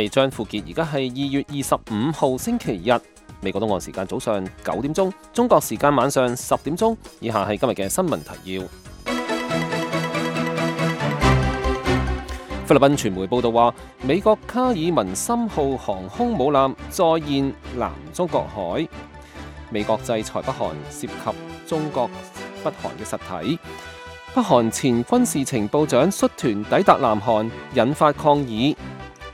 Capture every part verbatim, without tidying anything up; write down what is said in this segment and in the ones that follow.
係張富傑，而家係二月二十五號星期日，美國東岸時間早上九點鐘，中國時間晚上十點鐘。以下係今日嘅新聞提要。菲律賓傳媒報道話，美國卡爾文森號航空母艦再現南中國海，美國制裁北韓涉及中國北韓嘅實體。北韓前軍事情報長率團抵達南韓，引發抗議。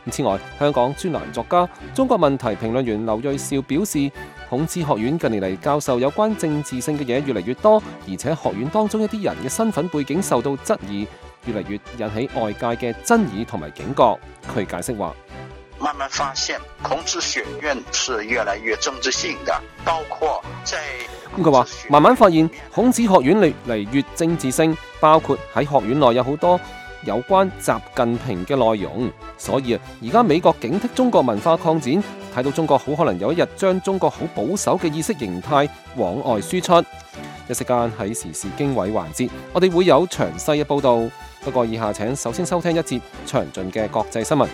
此外，香港專欄作家、中國問題評論員劉銳紹表示，孔子學院近年嚟教授有關政治性嘅嘢越嚟越多，而且學院當中一啲人嘅身份背景受到質疑，越嚟越引起外界嘅爭議同埋警覺。佢解釋話：慢慢發現孔子學院是越來越政治性的，包括在咁佢話慢慢發現孔子學院越嚟越政治性，包括喺學院內有好多有關習近平嘅內容。所以啊，而家美國警惕中國文化擴展，睇到中國好可能有一日將中國好保守嘅意識形態往外輸出。一時間喺時事經緯環節，我哋會有詳細嘅報道。不過以下請首先收聽一節詳盡嘅國際新聞。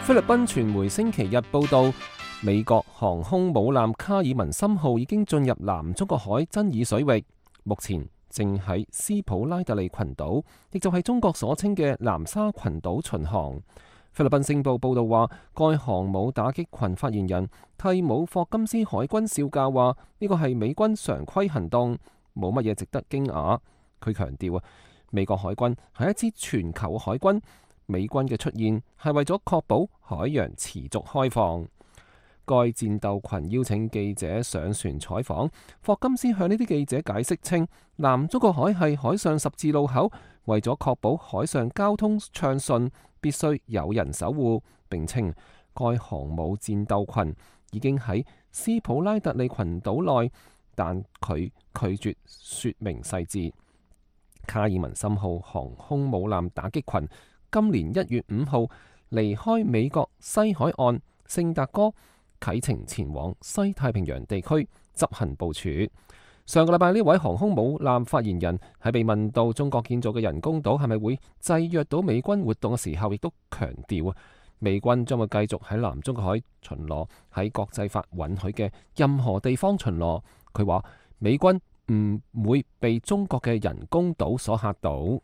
菲律賓傳媒星期日報道，美國航空母艦卡爾文森號已經進入南中國海爭議水域，目前正喺斯普拉特利群島，亦就係中國所稱嘅南沙群島巡航。菲律賓星報報道話，該航母打擊群發言人蒂姆霍金斯海軍少校話：呢個係美軍常規行動，冇乜嘢值得驚訝。佢強調啊，美國海軍係一支全球海軍。美軍嘅出現係為咗確保海洋持續開放。該戰鬥群邀請記者上船採訪，霍金斯向呢啲記者解釋稱，南中國海係海上十字路口，為咗確保海上交通暢順，必須有人守護。並稱該航母戰鬥群已經喺斯普拉特利群島內，但佢拒絕說明細節。卡爾文森號航空母艦打擊群今年一月五號離開美國西海岸聖達哥，啟程前往西太平洋地區執行部署。上個禮拜呢位航空母艦發言人喺被問到中國建造嘅人工島係咪會制約到美軍活動嘅時候，亦都強調啊，美軍將會繼續喺南中國海巡邏，喺國際法允許嘅任何地方巡邏。佢話美軍唔會被中國嘅人工島所嚇到。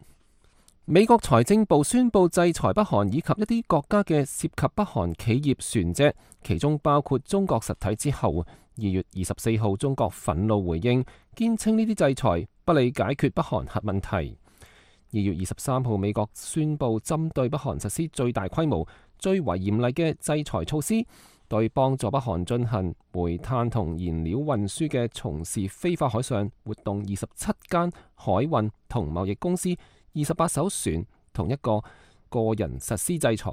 美國財政部宣布制裁北韓以及一啲國家嘅涉及北韓企業船隻，其中包括中國實體之後，二月二十四號中國憤怒回應，堅稱呢啲制裁不利解決北韓核問題。二月二十三號，美國宣布針對北韓實施最大規模、最為嚴厲嘅制裁措施，對幫助北韓進行煤炭同燃料運輸嘅從事非法海上活動二十七間海運同貿易公司、二十八艘船同一個個人實施制裁，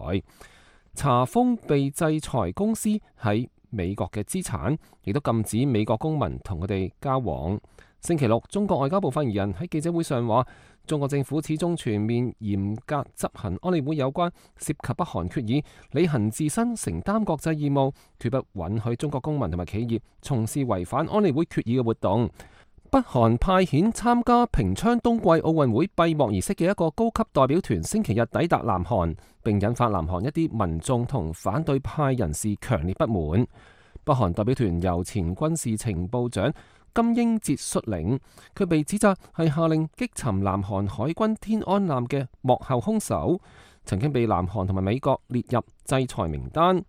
查封被制裁公司喺美國嘅資產，亦都禁止美國公民同佢哋交往。星期六，中國外交部發言人喺記者會上話，中國政府始終全面嚴格執行安理會有關涉及北韓決議，履行自身承擔國際義務，決不允許中國公民同埋企業從事違反安理會決議嘅活動。北韓派遣參加平昌冬季奧運會閉幕儀式嘅一個高級代表團星期日抵達南韓，並引發南韓一啲民眾同反對派人士強烈不滿。北韓代表團由前軍事情報長金英哲率領，佢被指責係下令擊沉南韓海軍天安艦嘅幕後兇手，曾經被南韓同埋美國列入制裁名單。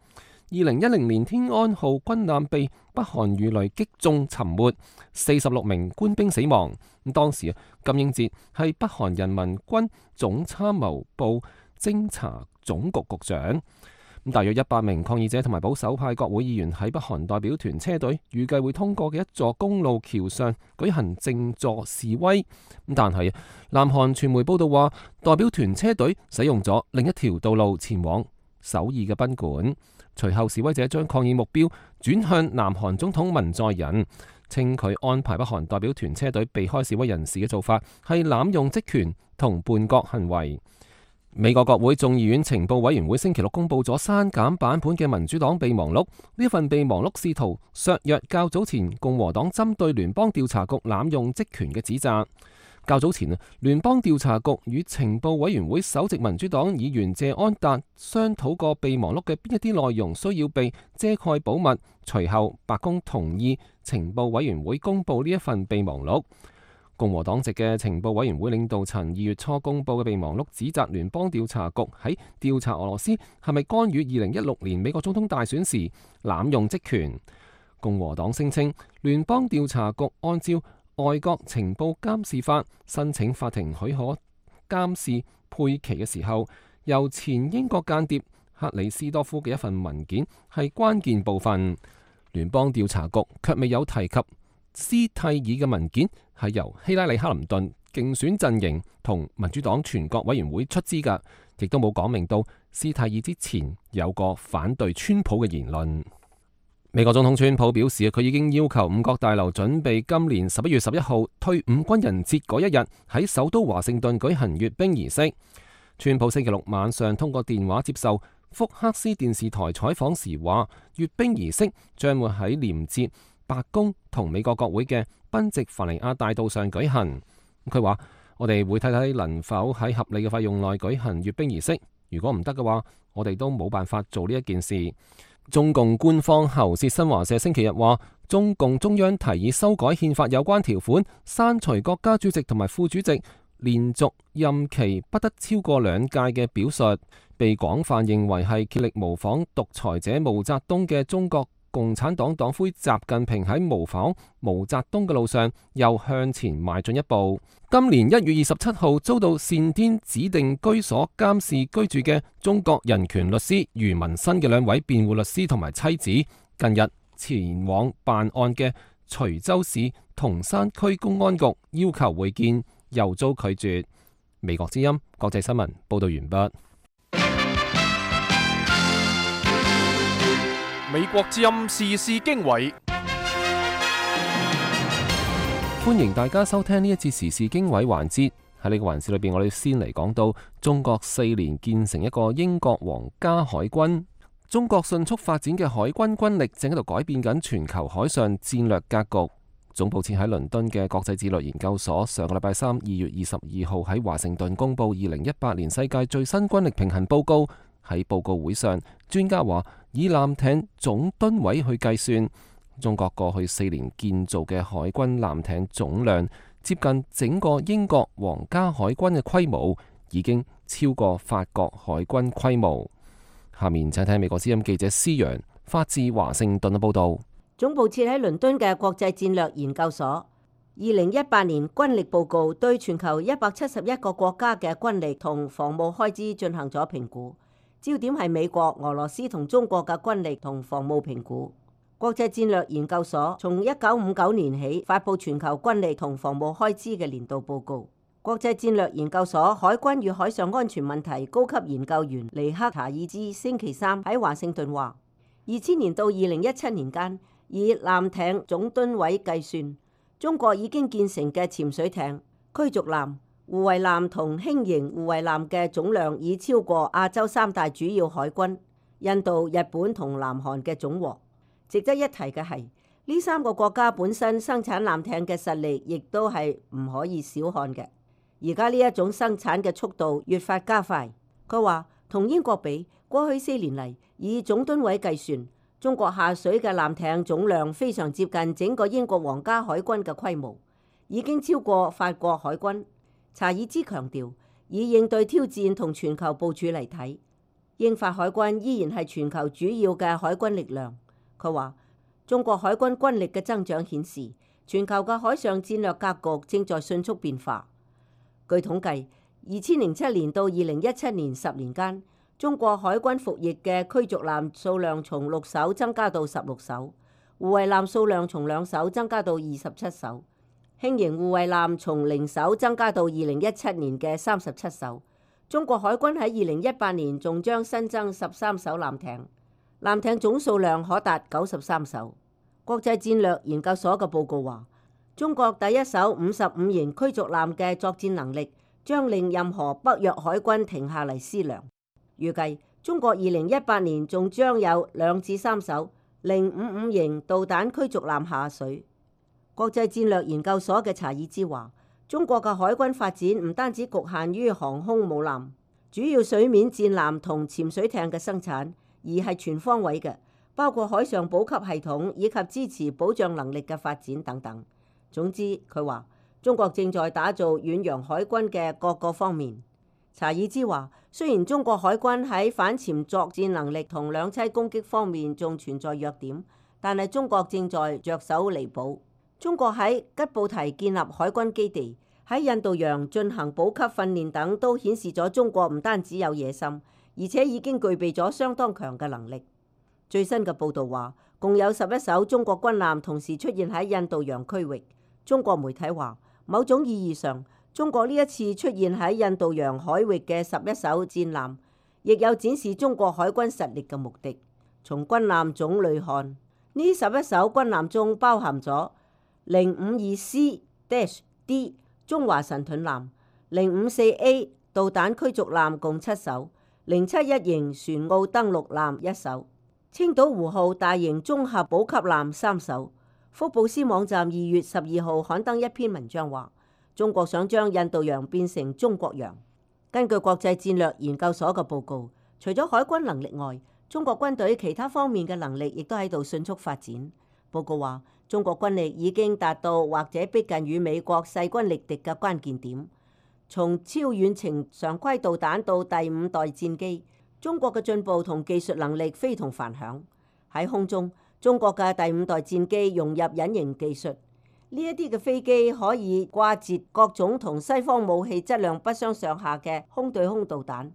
二零一零年天安號軍艦被北韓魚雷擊中沉沒，四十六名官兵死亡。咁當時金英哲係北韓人民軍總參謀部偵察總局局長。咁大約一百名抗議者同埋保守派國會議員喺北韓代表團車隊預計會通過嘅一座公路橋上舉行靜坐示威。咁但係南韓傳媒報道話，代表團車隊使用咗另一條道路前往首爾嘅賓館。隨後示威者將抗議目標轉向南韓總統文在寅，稱佢安排北韓代表團車隊避開示威人士嘅做法係濫用職權同叛國行為。美國國會眾議院情報委員會星期六公布咗刪減版本嘅民主黨備忘錄，呢份備忘錄試圖削弱較早前共和黨針對聯邦調查局濫用職權嘅指責。較早前啊，聯邦調查局與情報委員會首席民主黨議員謝安達商討過備忘錄嘅邊一啲內容需要被遮蓋保密。隨後，白宮同意情報委員會公佈呢一份備忘錄。共和黨籍嘅情報委員會領導層二月初公佈嘅備忘錄，指責聯邦調查局喺調查俄羅斯係咪干預二零一六年美國總統大選時濫用職權。共和黨聲稱，聯邦調查局按照外國情報監視法申請法庭許可監視佩奇嘅時候，由前英國間諜克里斯多夫嘅一份文件係關鍵部分。聯邦調查局卻未有提及斯蒂爾嘅文件係由希拉里克林頓競選陣營同民主黨全國委員會出資㗎，亦都冇講明到斯蒂爾之前有個反對川普嘅言論。美國總統川普表示，佢已經要求五角大樓準備今年十一月十一號退伍軍人節嗰一日喺首都華盛頓舉行閱兵儀式。川普星期六晚上通過電話接受福克斯電視台採訪時話，閱兵儀式將會喺連接白宮同美國國會嘅賓夕凡尼亞大道上舉行。佢話：我哋會睇睇能否喺合理嘅費用內舉行閱兵儀式，如果唔得嘅話，我哋都冇辦法做呢一件事。中共官方喉舌新華社星期日話，中共中央提議修改憲法有關條款，刪除國家主席同埋副主席連續任期不得超過兩屆嘅表述，被廣泛認為係竭力模仿獨裁者毛澤東嘅中國共產黨黨魁習近平喺模仿毛澤東嘅路上又向前邁進一步。今年一月二十七號遭到單天指定居所監視居住嘅中國人權律師余文新嘅兩位辯護律師同埋妻子，近日前往辦案嘅徐州市同山區公安局要求會見，又遭拒絕。美國之音國際新聞報道完畢。美國之音時事經緯，歡迎大家收聽呢一節時事經緯環節。喺呢個環節裏邊，我哋先嚟講到中國四年建成一個英國皇家海軍。中國迅速發展嘅海軍軍力正喺度改變緊全球海上戰略格局。總部設喺倫敦嘅國際戰略研究所上個禮拜三二月二十二號喺華盛頓公布二零一八年世界最新軍力平衡報告。喺報告會上，專家話以艦艇總噸位去計算，中國過去四年建造嘅海軍艦艇總量接近整個英國皇家海軍嘅規模，已經超過法國海軍規模。下面請睇美國之音記者施洋發自華盛頓嘅報道。總部設喺倫敦嘅國際戰略研究所二零一八年軍力報告對全球一百七十一個國家嘅軍力同防務開支進行咗評估。焦點係美國、俄羅斯同中國嘅軍力同防務評估。國際戰略研究所從一九五九年起發佈全球軍力同防務開支嘅年度報告。國際戰略研究所海軍與海上安全問題高級研究員尼克查爾茲星期三喺華盛頓話：二千年到二零一七年間，以艦艇總噸位計算，中國已經建成嘅潛水艇、驅逐艦、護衛艦同輕型護衛艦嘅總量已超過亞洲三大主要海軍印度、日本同南韓嘅總和。值得一提嘅係，呢三個國家本身生產艦艇嘅實力亦都係唔可以小看嘅。而家呢一種生產嘅速度越發加快。佢話同英國比，過去四年嚟以總噸位計算，中國下水嘅艦艇總量非常接近整個英國皇家海軍嘅規模，已經超過法國海軍。查爾茲強調，以應對挑戰同全球部署嚟睇，英法海軍依然係全球主要嘅海軍力量。佢話，中國海軍軍力嘅增長顯示，全球嘅海上戰略格局正在迅速變化。據統計，二千零七年到二零一七年十年間，中國海軍服役嘅驅逐艦數量從六艘增加到十六艘，護衛艦數量從兩艘增加到二十七艘。輕型護衛艦從零艘增加到二零一七年嘅三十七艘。中國海軍喺二零一八年仲將新增十三艘艦艇，艦艇總數量可達九十三艘。國際戰略研究所嘅報告話，中國第一艘五十五型驅逐艦嘅作戰能力將令任何北約海軍停下嚟思量。預計中國二零一八年仲將有兩至三艘零五五型導彈驅逐艦下水。國際戰略研究所嘅查爾茲話，中國嘅海軍發展唔單止局限於航空母艦、主要水面戰艦同潛水艇嘅生產，而係全方位嘅，包括海上補給系統以及支持保障能力嘅發展等等。總之，佢話中國正在打造遠洋海軍嘅各個方面。查爾茲話，雖然中國海軍喺反潛作戰能力同兩棲攻擊方面仲存在弱點，但係中國正在着手彌補。中國喺吉布提建立海軍基地，喺印度洋進行補給訓練等，都顯示咗中國唔單止有野心，而且已經具備咗相當強嘅能力。最新嘅報導話，共有十一艘中國軍艦同時出現喺印度洋區域。中國媒體話，某種意義上，中國呢一次出現喺印度洋海域嘅十一艘戰艦，亦有展示中國海軍實力嘅目的。從軍艦種類看，呢十一艘軍艦中包含咗零五二 C D 中華神盾艦、零五四 A 導彈驅逐艦共七艘、零七一型船澳登陸艦一艘、青島湖號大型綜合補給艦三艘。福布斯網站二月十二號刊登一篇文章話，中國想將印度洋變成中國洋。根據國際戰略研究所嘅報告，除咗海軍能力外，中國軍隊其他方面嘅能力亦都喺度迅速發展。報告話，中國軍力已經達到或者逼近與美國勢均力敵嘅關鍵點。從超遠程常規導彈到第五代戰機，中國嘅進步同技術能力非同凡響。喺空中，中國嘅第五代戰機融入隱形技術，呢一啲嘅飛機可以掛截各種同西方武器質量不相上下嘅空對空導彈。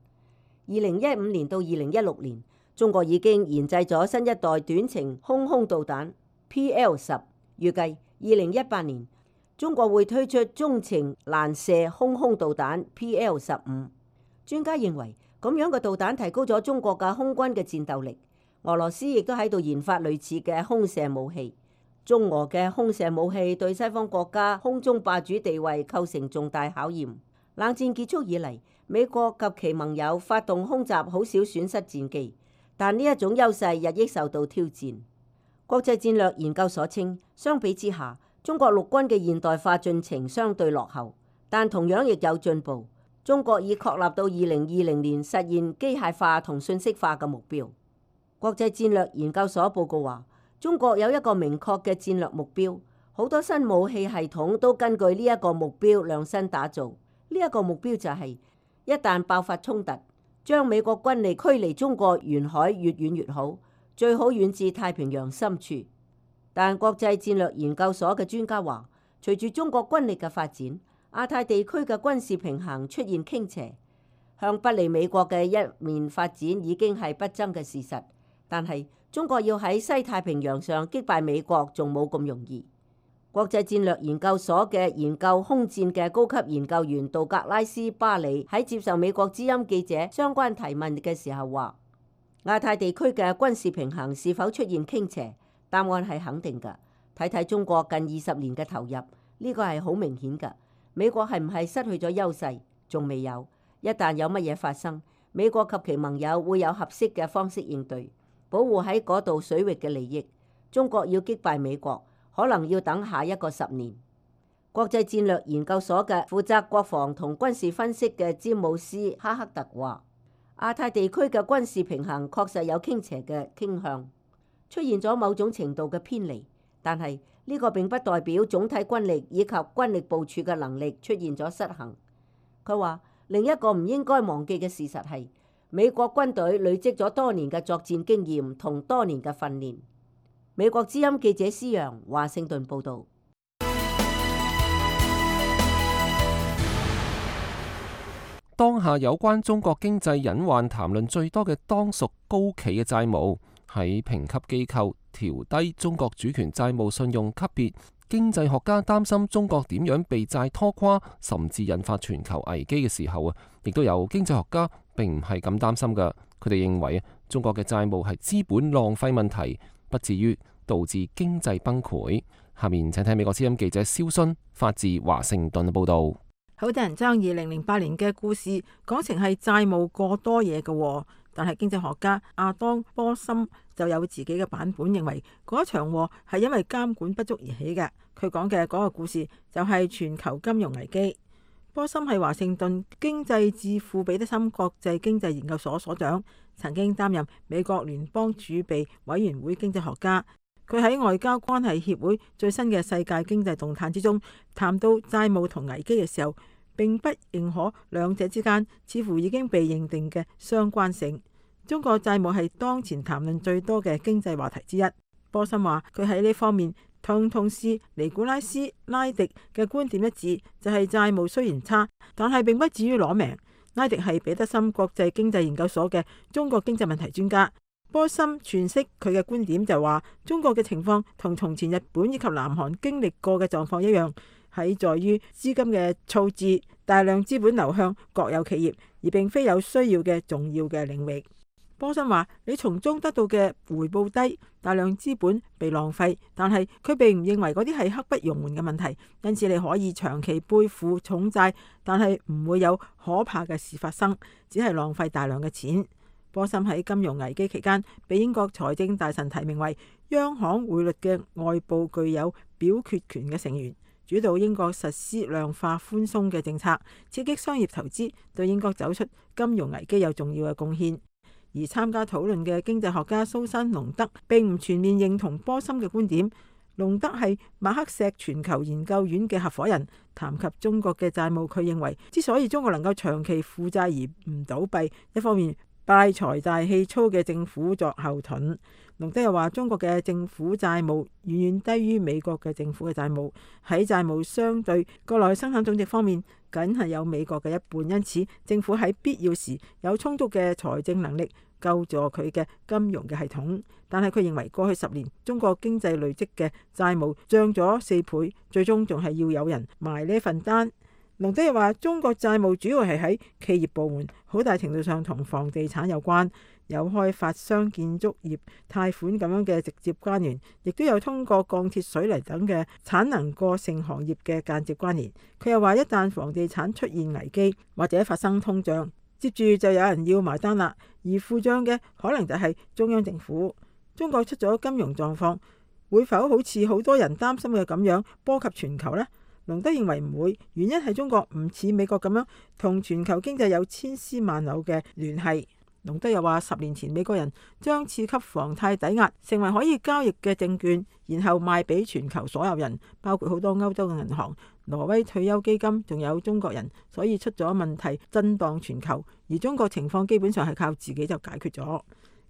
二零一五年到二零一六年，中國已經研製咗新一代短程空空導彈 P L 十，預計二零一八年中國會推出中程攔射空空導彈 P L 十五。專家認為，咁樣嘅導彈提高咗中國嘅空軍嘅戰鬥力。俄羅斯亦都喺度研發類似嘅空射武器。中俄嘅空射武器對西方國家空中霸主地位構成重大考驗。冷戰結束以嚟，美國及其盟友發動空襲，好少損失戰機，但呢一種優勢日益受到挑戰。國際戰略研究所稱，相比之下，中國陸軍嘅現代化進程相對落後，但同樣亦有進步。中國已確立到二零二零年實現機械化同信息化嘅目標。國際戰略研究所報告話，中國有一個明確嘅戰略目標，好多新武器系統都根據呢一個目標量身打造。呢一個目標就係一旦爆發衝突，將美國軍力驅離中國沿海越遠越好，最好遠至太平洋深處。但國際戰略研究所嘅專家話，隨住中國軍力嘅發展，亞太地區嘅軍事平衡出現傾斜，向不利美國嘅一面發展已經係不爭嘅事實。但係中國要喺西太平洋上擊敗美國仲冇咁容易。國際戰略研究所嘅研究空戰嘅高級研究員道格拉斯巴里喺接受美國之音記者相關提問嘅時候話，亞太地區嘅軍事平衡是否出現傾斜？答案係肯定㗎。睇睇中國近二十年嘅投入，呢個係好明顯㗎。美國係唔係失去咗優勢？仲未有。一旦有乜嘢發生，美國及其盟友會有合適嘅方式應對，保護喺嗰度水域嘅利益。中國要擊敗美國，可能要等下一個十年。國際戰略研究所嘅負責國防同軍事分析嘅詹姆斯哈克特話，亞太地區嘅軍事平衡確實有傾斜嘅傾向，出現咗某種程度嘅偏離，但係呢個並不代表總體軍力以及軍力部署嘅能力出現咗失衡。佢話，另一個唔應該忘記嘅事實係，美國軍隊累積咗多年嘅作戰經驗同多年嘅訓練。美國之音記者施揚華盛頓報導。當下有關中國經濟隱患談論最多嘅，當屬高企嘅債務。喺評級機構調低中國主權債務信用級別，經濟學家擔心中國點樣被債拖垮，甚至引發全球危機嘅時候啊，亦都有經濟學家並唔係咁擔心㗎。佢哋認為中國嘅債務係資本浪費問題，不至於導致經濟崩潰。下面請睇美國之音記者蕭순發自華盛頓嘅報導。好多人將二零零八年嘅故事講成係債務過多嘢嘅，但係經濟學家亞當波森就有自己嘅版本，認為嗰場禍係因為監管不足而起嘅。佢講嘅嗰個故事就係全球金融危機。波森係華盛頓經濟智庫彼得森國際經濟研究所所長，曾經擔任美國聯邦儲備委員會經濟學家。佢喺外交關係協會最新嘅世界經濟動態之中談到債務同危機嘅時候，並不認可兩者之間似乎已經被認定嘅相關性。中國債務係當前談論最多嘅經濟話題之一。波森話佢喺呢方面同同事尼古拉斯拉迪嘅觀點一致，就係債務雖然差，但係並不至於攞命。拉迪係彼得森國際經濟研究所嘅中國經濟問題專家。波森詮釋佢嘅觀點就話，中國嘅情況同從前日本以及南韓經歷過嘅狀況一樣，喺在於資金嘅措置，大量資本流向國有企業，而並非有需要嘅重要嘅領域。波森話：你從中得到嘅回報低，大量資本被浪費，但係佢並唔認為嗰啲係刻不容緩嘅問題，因此你可以長期背負重債，但係唔會有可怕嘅事發生，只係浪費大量嘅錢。波森喺金融危機期間，被英國財政大臣提名為央行匯率嘅外部具有表決權嘅成員，主導英國實施量化寬鬆嘅政策，刺激商業投資，對英國走出金融危機有重要嘅貢獻。而參加討論嘅經濟學家蘇珊·隆德並唔全面認同波森嘅觀點。隆德係馬克錫全球研究院嘅合夥人，談及中國嘅債務，佢認為之所以中國能夠長期負債而唔倒閉，一方面拜財大氣粗嘅政府作後盾。隆德又話，中國嘅政府債務遠遠低於美國嘅政府嘅債務，喺債務相對國內生產總值方面，僅係有美國嘅一半，因此政府喺必要時有充足嘅財政能力救助佢嘅金融嘅系統。但係佢認為過去十年中國經濟累積嘅債務漲咗四倍，最終仲係要有人埋呢份單。隆德又話，中國債務主要係喺企業部門，好大程度上同房地產有關，有開發商、建築業貸款咁樣嘅直接關聯，亦都有通過鋼鐵、水泥等嘅產能過剩行業嘅間接關聯。佢又話，一旦房地產出現危機或者發生通脹，接住就有人要埋單啦，而付帳嘅可能就係中央政府。中國出咗金融狀況，會否好似好多人擔心嘅咁樣波及全球呢？隆德認為唔會，原因係中國唔似美國咁樣同全球經濟有千絲萬縷嘅聯繫。隆德又話，十年前美國人將次級房貸抵押成為可以交易嘅證券，然後賣俾全球所有人，包括好多歐洲嘅銀行、挪威退休基金，仲有中國人，所以出咗問題震盪全球。而中國情況基本上係靠自己就解決咗。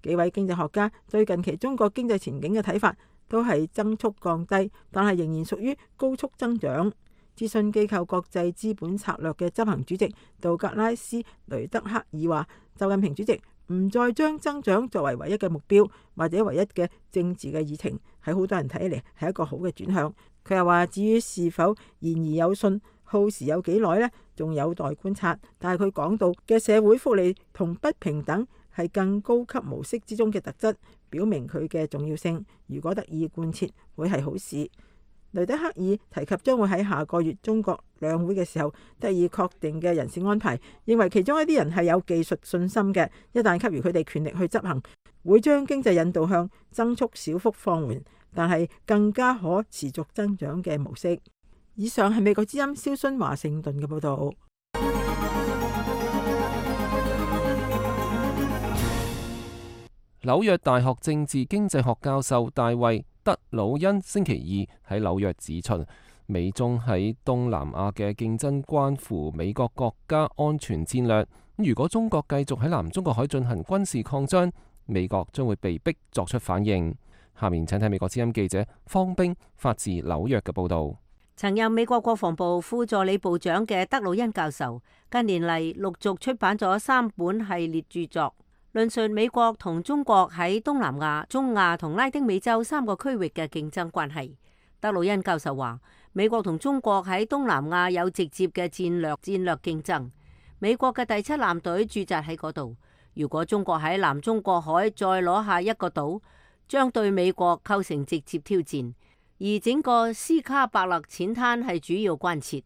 幾位經濟學家對近期中國經濟前景嘅睇法都係增速降低，但係仍然屬於高速增長。諮詢機構國際資本策略嘅執行主席道格拉斯雷德克爾話，習近平主席唔再將增長作為唯一嘅目標或者唯一嘅政治嘅議程，喺好多人睇嚟係一個好嘅轉向。佢又話，至於是否言而有信，耗時有幾耐呢？仲有待觀察。但係佢講到嘅社會福利同不平等係更高級模式之中嘅特質，表明佢嘅重要性。如果得以貫徹，會係好事。雷德克爾提及將會喺下個月中國兩會嘅時候得以確定嘅人事安排，認為其中一啲人係有技術信心嘅，一旦給予佢哋權力去執行，會將經濟引導向增速小幅放緩，但係更加可持續增長嘅模式。以上係美國之音蕭薰華盛頓嘅報道。紐約大學政治經濟學教授大衛德魯恩星期二喺紐約指出，美中喺東南亞嘅競爭關乎美國國家安全戰略。如果中國繼續喺南中國海進行軍事擴張，美國將會被逼作出反應。下面請睇美國之音記者方冰發自紐約嘅報道。曾任美國國防部副助理部長嘅德魯恩教授，近年嚟陸續出版咗三本系列著作，論述美國同中國喺東南亞、中亞同拉丁美洲三個區域嘅競爭關係。德魯恩教授話，美國同中國喺東南亞有直接嘅戰略戰略競爭，美國嘅第七艦隊駐紮喺嗰度。如果中國喺南中國海再攞下一個島，將對美國構成直接挑戰。而整個斯卡伯勒淺灘係主要關切。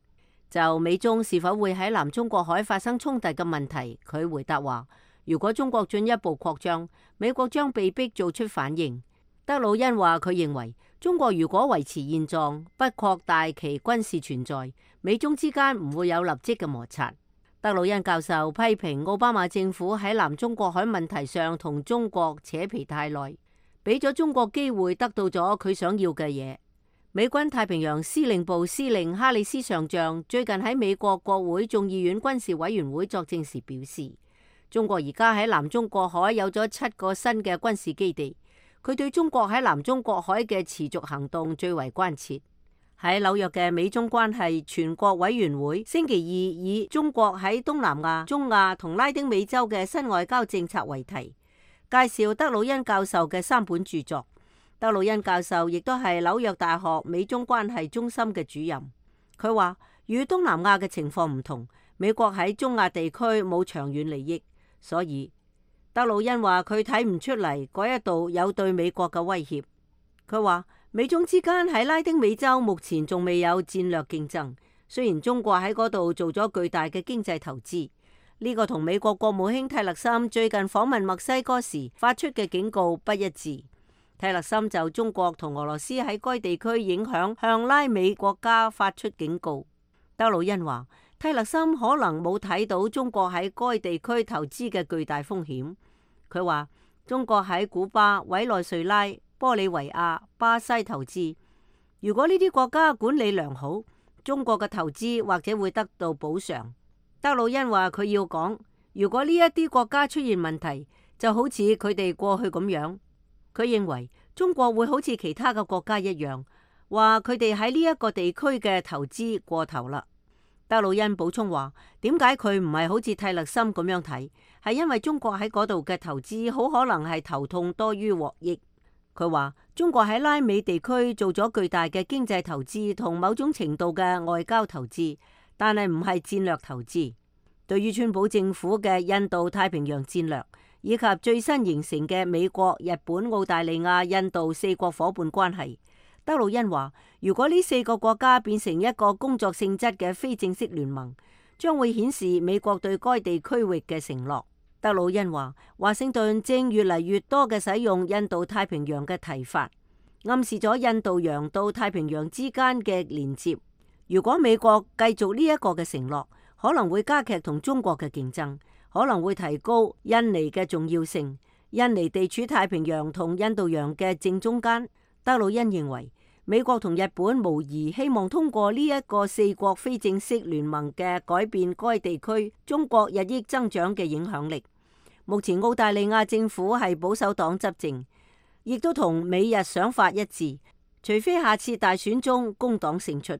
就美中是否會喺南中國海發生衝突嘅問題，佢回答話，如果中國進一步擴張，美國將被迫做出反應。德魯恩話佢認為，中國如果維持現狀，不擴大其軍事存在，美中之間唔會有立即嘅摩擦。德魯恩教授批評奧巴馬政府喺南中國海問題上同中國扯皮太耐，俾咗中國機會得到咗佢想要嘅嘢。美軍太平洋司令部司令哈里斯上將最近喺美國國會眾議院軍事委員會作證時表示，中國而家喺南中國海有咗七個新嘅軍事基地，佢對中國喺南中國海嘅持續行動最為關切。喺紐約嘅美中關係全國委員會星期二以中國喺東南亞、中亞同拉丁美洲嘅新外交政策為題，介紹德魯恩教授嘅三本著作。德魯恩教授亦都係紐約大學美中關係中心嘅主任。佢話，與東南亞嘅情況唔同，美國喺中亞地區冇長遠利益，所以德魯恩話佢睇唔出嚟嗰一度有對美國嘅威脅。佢話美中之間喺拉丁美洲目前仲未有戰略競爭，雖然中國喺嗰度做咗巨大嘅經濟投資，呢個同美國國務卿泰勒森最近訪問墨西哥時發出嘅警告不一致。泰勒森就中國同俄羅斯喺該地區影響向拉美國家發出警告。德魯恩話，泰勒森可能冇睇到中國喺該地區投資嘅巨大風險。佢話中國喺古巴、委內瑞拉、玻利維亞、巴西投資，如果呢啲國家管理良好，中國嘅投資或者會得到補償。德魯恩話佢要講，如果呢一啲國家出現問題，就好似佢哋過去咁樣。佢認為中國會好似其他嘅國家一樣，話佢哋喺呢一個地區嘅投資過頭啦。德魯恩補充話，點解佢唔係好似泰勒森咁樣睇？係因為中國喺嗰度嘅投資好可能係頭痛多於獲益。佢話中國喺拉美地區做咗巨大嘅經濟投資同某種程度嘅外交投資，但係唔係戰略投資。對於川普政府嘅印度太平洋戰略，以及最新形成嘅美國、日本、澳大利亞、印度四國夥伴關係，德魯恩話，如果呢四個國家變成一個工作性質嘅非正式聯盟，將會顯示美國對該地區域嘅承諾。德魯恩話，華盛頓正越嚟越多嘅使用印度太平洋嘅提法，暗示咗印度洋到太平洋之間嘅連接。如果美國繼續呢一個嘅承諾，可能會加劇同中國嘅競爭，可能會提高印尼嘅重要性。印尼地處太平洋同印度洋嘅正中間。德魯恩認為，美國同日本無疑希望通過呢一個四國非正式聯盟嘅改變該地區中國日益增長嘅影響力。目前澳大利亞政府係保守黨執政，亦都同美日想法一致，除非下次大選中工黨勝出。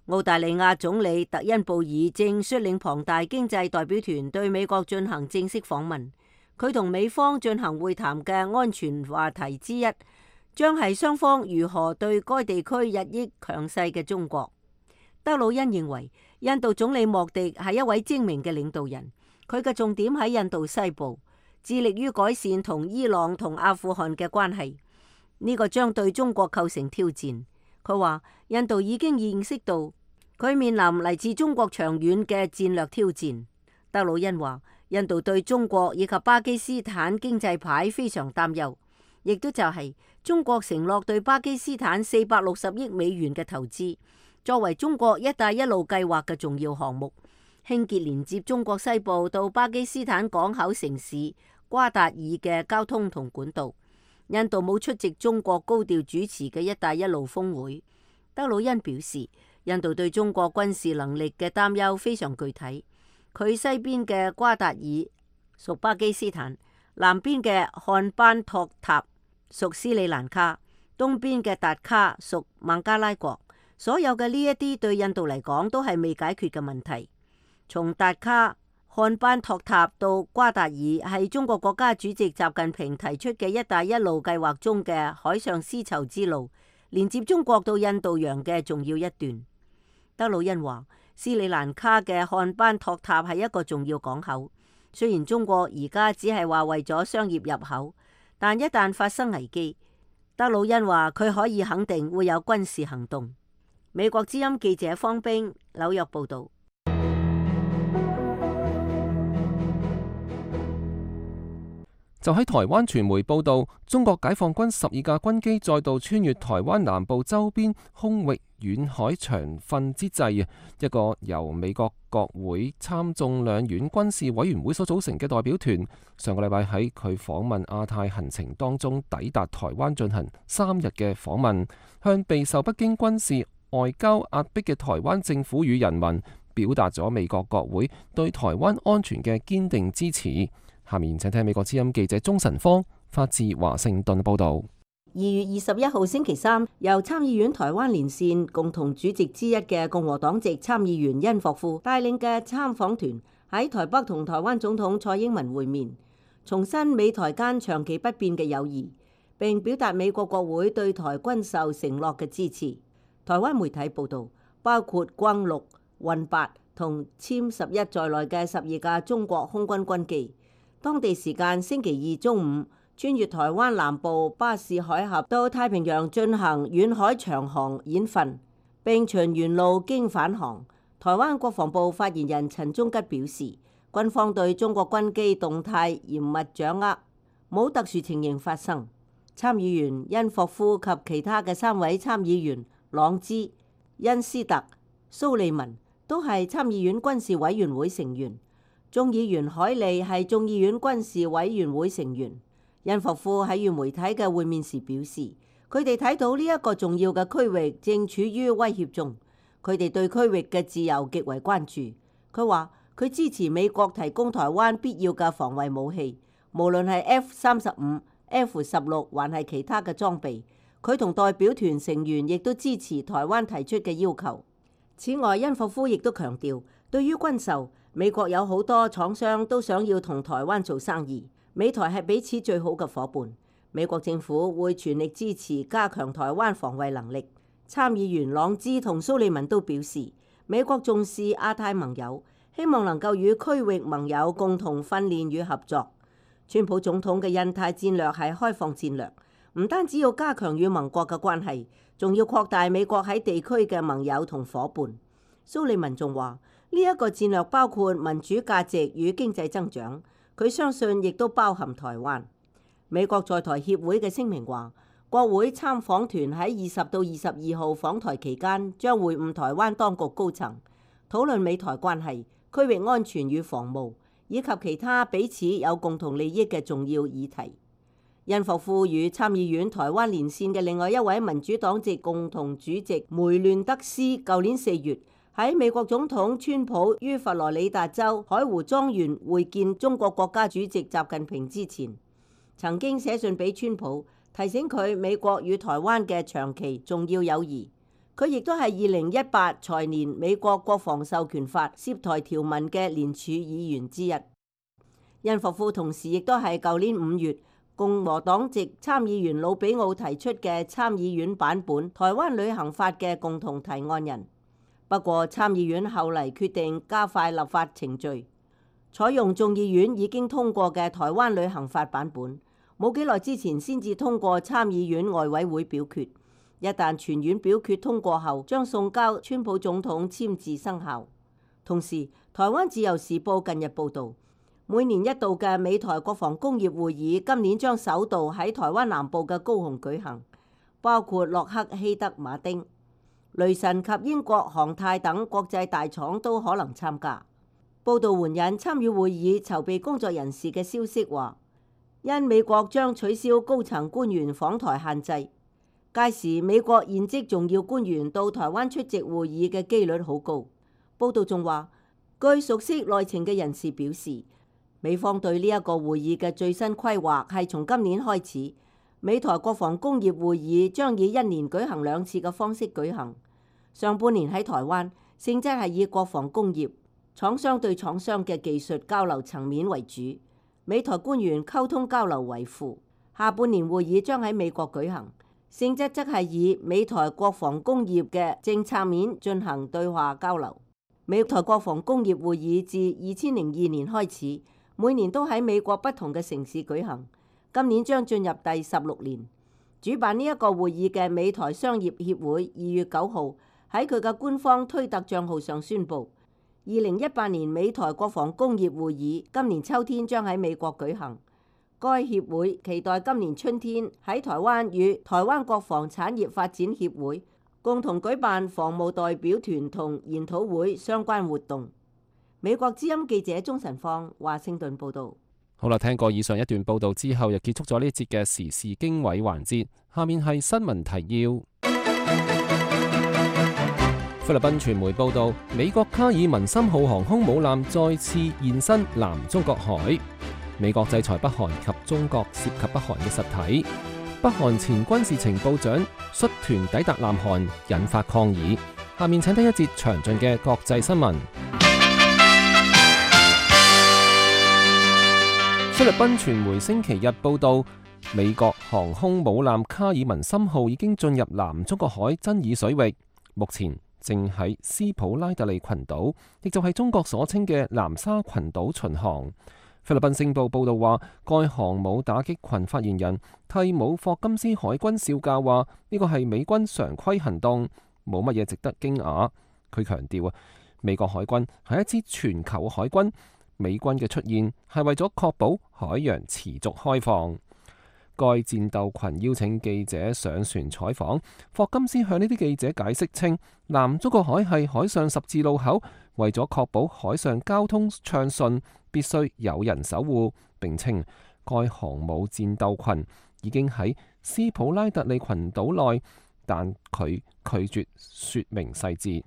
澳大利亞總理特恩布爾正率領龐大經濟代表團對美國進行正式訪問，佢同美方進行會談嘅安全話題之一，將係雙方如何對該地區日益強勢嘅中國。德魯恩認為，印度總理莫迪係一位精明嘅領導人，佢嘅重點喺印度西部，致力於改善同伊朗同阿富汗嘅關係。呢個將對中國構成挑戰。佢話印度已經認識到佢面臨嚟自中國長遠嘅戰略挑戰。德魯恩話印度對中國以及巴基斯坦經濟牌非常擔憂，亦都就係中國承諾對巴基斯坦四百六十億美元嘅投資，作為中國一帶一路計劃嘅重要項目，興建連接中國西部到巴基斯坦港口城市瓜達爾嘅交通同管道。印度冇出席中國高調主持嘅一帶一路峰會。德魯恩表示，印度對中國軍事能力嘅擔憂非常具體。佢西邊嘅瓜達爾屬巴基斯坦，南邊嘅漢班托塔屬斯里蘭卡，東邊嘅達卡屬孟加拉國。所有嘅呢一啲對印度嚟講都係未解決嘅問題。從達卡、漢班托塔到瓜達爾係中國國家主席習近平提出嘅一帶一路計劃中嘅海上絲綢之路，連接中國到印度洋嘅重要一段。德魯恩話，斯里蘭卡嘅漢班托塔係一個重要港口，雖然中國而家只係話為咗商業入口，但一旦發生危機，德魯恩話佢可以肯定會有軍事行動。美國之音記者方冰紐約報道。就喺台灣傳媒報道，中國解放軍十二架軍機再度穿越台灣南部周邊空域遠海長訓之際，一個由美國國會參眾兩院軍事委員會所組成嘅代表團，上個禮拜喺佢訪問亞太行程當中抵達台灣進行三日嘅訪問，向備受北京軍事外交壓迫嘅台灣政府與人民表達咗美國國會對台灣安全嘅堅定支持。下面請聽美國之音記者鍾晨芳發自華盛頓報道。二月二十一號星期三，由參議院台灣連線共同主席之一嘅共和黨籍參議員殷霍夫帶領嘅參訪團喺台北同台灣總統蔡英文會面，重申美台間長期不變嘅友誼，並表達美國國會對台軍售承諾嘅支持。台灣媒體報道，包括轟六、運八同殲十一在內嘅十二架中國空軍軍機，當地時間星期二中午穿越台灣南部巴士海峽到太平洋進行遠海長航演訓，並循原路經返航。台灣國防部發言人陳忠吉表示，軍方對中國軍機動態嚴密掌握，冇特殊情形發生。參議員殷霍夫及其他嘅三位參議員朗茲、恩斯特、蘇利文都係參議院軍事委員會成員。眾議員海利係眾議院軍事委員會成員。殷霍夫喺與媒體嘅會面時表示，佢哋睇到呢一個重要嘅區域正處於威脅中，佢哋對區域嘅自由極為關注。佢話佢支持美國提供台灣必要嘅防衛武器，無論係 F 三十五、F 十六還係其他嘅裝備。佢同代表團成員亦都支持台灣提出嘅要求。此外，殷霍夫亦都強調，對於軍售，美國有好多廠商都想要同台灣做生意，美台係彼此最好嘅夥伴。美國政府會全力支持加強台灣防衛能力。參議員朗茲同蘇利文都表示，美國重視亞太盟友，希望能夠與區域盟友共同訓練與合作。川普總統嘅印太戰略係開放戰略，唔單止要加強與盟國嘅關係，仲要擴大美國喺地區嘅盟友同夥伴。蘇利文仲話，呢一個戰略包括民主價值與經濟增長，佢相信亦都包含台灣。美國在台協會嘅聲明話，國會參訪團喺二十到二十二號訪台期間，將會晤台灣當局高層，討論美台關係、區域安全與防務，以及其他彼此有共同利益嘅重要議題。殷霍夫與參議院台灣連線嘅另外一位民主黨籍共同主席梅亂德斯，舊年四月喺美國總統川普於佛羅里達州海湖莊園會見中國國家主席習近平之前，曾經寫信俾川普，提醒佢美國與台灣嘅長期重要友誼。佢亦都係二零一八財年美國國防授權法涉台條文嘅聯署議員之一。殷霍夫同時亦都係舊年五月共和黨籍參議員魯比奧提出嘅參議院版本台灣旅行法嘅共同提案人。不過參議院後嚟決定加快立法程序，採用眾議院已經通過嘅台灣旅行法版本，冇幾耐之前先至通過參議院外委會表決。一旦全院表決通過後，將送交川普總統簽字生效。同時，台灣自由時報近日報導，每年一度嘅美台國防工業會議今年將首度喺台灣南部嘅高雄舉行，包括洛克希德馬丁、雷神及英國航太等國際大廠都可能參加。報導援引參與會議籌備工作人士嘅消息話，因美國將取消高層官員訪台限制，屆時美國現職重要官員到台灣出席會議嘅機率好高。報導仲話，據熟悉內情嘅人士表示，美方對呢一個會議嘅最新規劃係從今年開始，美台國防工業會議將以一年舉行兩次嘅方式舉行。上半年喺台灣，性質係以國防工業廠商對廠商嘅技術交流層面為主，美台官員溝通交流為輔。下半年會議將喺美國舉行，性質則係以美台國防工業嘅政策面進行對話交流。美台國防工業會議自二千零二年開始，每年都喺美國不同嘅城市舉行，今年將進入第十六年。主辦呢一個會議嘅美台商業協會二月九號喺佢嘅官方推特帳號上宣布，二零一八年美台國防工業會議今年秋天將喺美國舉行。該協會期待今年春天喺台灣與台灣國防產業發展協會共同舉辦防務代表團同研討會相關活動。美國之音記者鍾晨放華盛頓報道。好啦，聽過以上一段報道之後，又結束咗呢一節嘅時事經緯環節。下面係新聞提要。菲律賓傳媒報道，美國卡爾文森號航空母艦再次現身南中國海。美國制裁北韓及中國涉及北韓嘅實體。北韓前軍事情報長率團抵達南韓，引發抗議。下面請聽一節詳盡嘅國際新聞。菲律賓傳媒星期日報道，美國航空母艦卡爾文森號已經進入南中國海爭議水域，目前正喺斯普拉特利群島，亦就係中國所稱嘅南沙群島巡航。菲律賓星報報道話，該航母打擊群發言人替姆霍金斯海軍少校話：呢個係美軍常規行動，冇乜嘢值得驚訝。佢強調啊，美國海軍係一支全球海軍，美軍嘅出現係為咗確保海洋持續開放。該戰鬥群邀請記者上船採訪，霍金斯向呢啲記者解釋稱，南中國海係海上十字路口，為咗確保海上交通暢順，必須有人守護。並稱該航母戰鬥群已經喺斯普拉特利群島內，但佢拒絕說明細節。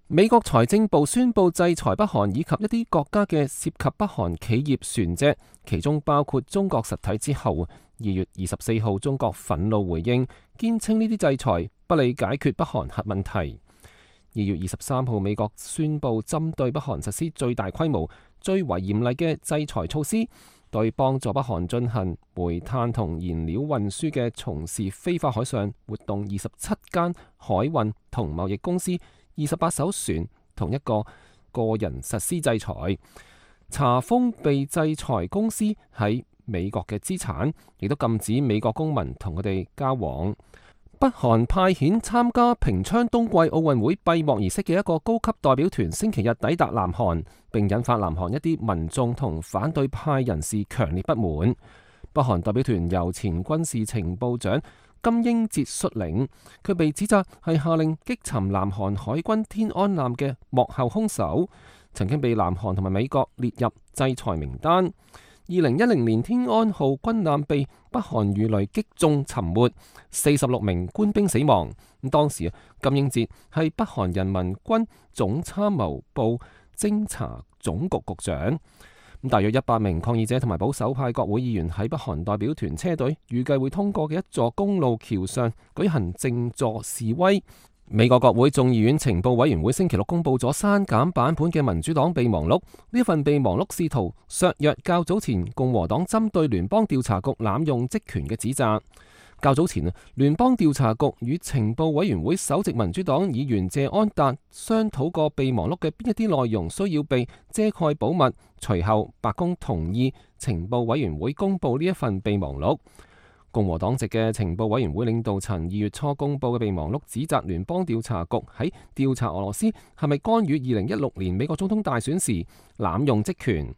美國財政部宣布制裁北韓以及一啲國家嘅涉及北韓企業船隻，其中包括中國實體之後，二月二十四號中國憤怒回應，堅稱呢啲制裁不利解決北韓核問題。二月二十三號，美國宣布針對北韓實施最大規模、最為嚴厲嘅制裁措施，對幫助北韓進行煤炭同燃料運輸嘅從事非法海上活動二十七間海運同貿易公司、二十八艘船同一個個人實施制裁，查封被制裁公司喺美國嘅資產，亦都禁止美國公民同佢哋交往。北韓派遣參加平昌冬季奧運會閉幕儀式嘅一個高級代表團星期日抵達南韓，並引發南韓一啲民眾同反對派人士強烈不滿。北韓代表團由前軍事情報長金英哲率領，佢被指責係下令擊沉南韓海軍天安艦嘅幕後兇手，曾經被南韓同埋美國列入制裁名單。二零一零年天安號軍艦被北韓魚雷擊中沉沒，四十六名官兵死亡。咁當時金英哲係北韓人民軍總參謀部偵察總局局長。咁大約一百名抗議者同埋保守派國會議員喺北韓代表團車隊預計會通過嘅一座公路橋上舉行靜坐示威。美國國會眾議院情報委員會星期六公布咗刪減版本嘅民主黨備忘錄，呢份備忘錄試圖削弱較早前共和黨針對聯邦調查局濫用職權嘅指責。較早前啊，聯邦調查局與情報委員會首席民主黨議員謝安達商討過備忘錄嘅邊一啲內容需要被遮蓋保密，隨後白宮同意情報委員會公布呢一份備忘錄。共和黨籍嘅情報委員會領導層二月初公布嘅備忘錄，指責聯邦調查局喺調查俄羅斯係咪干預二零一六年美國總統大選時濫用職權。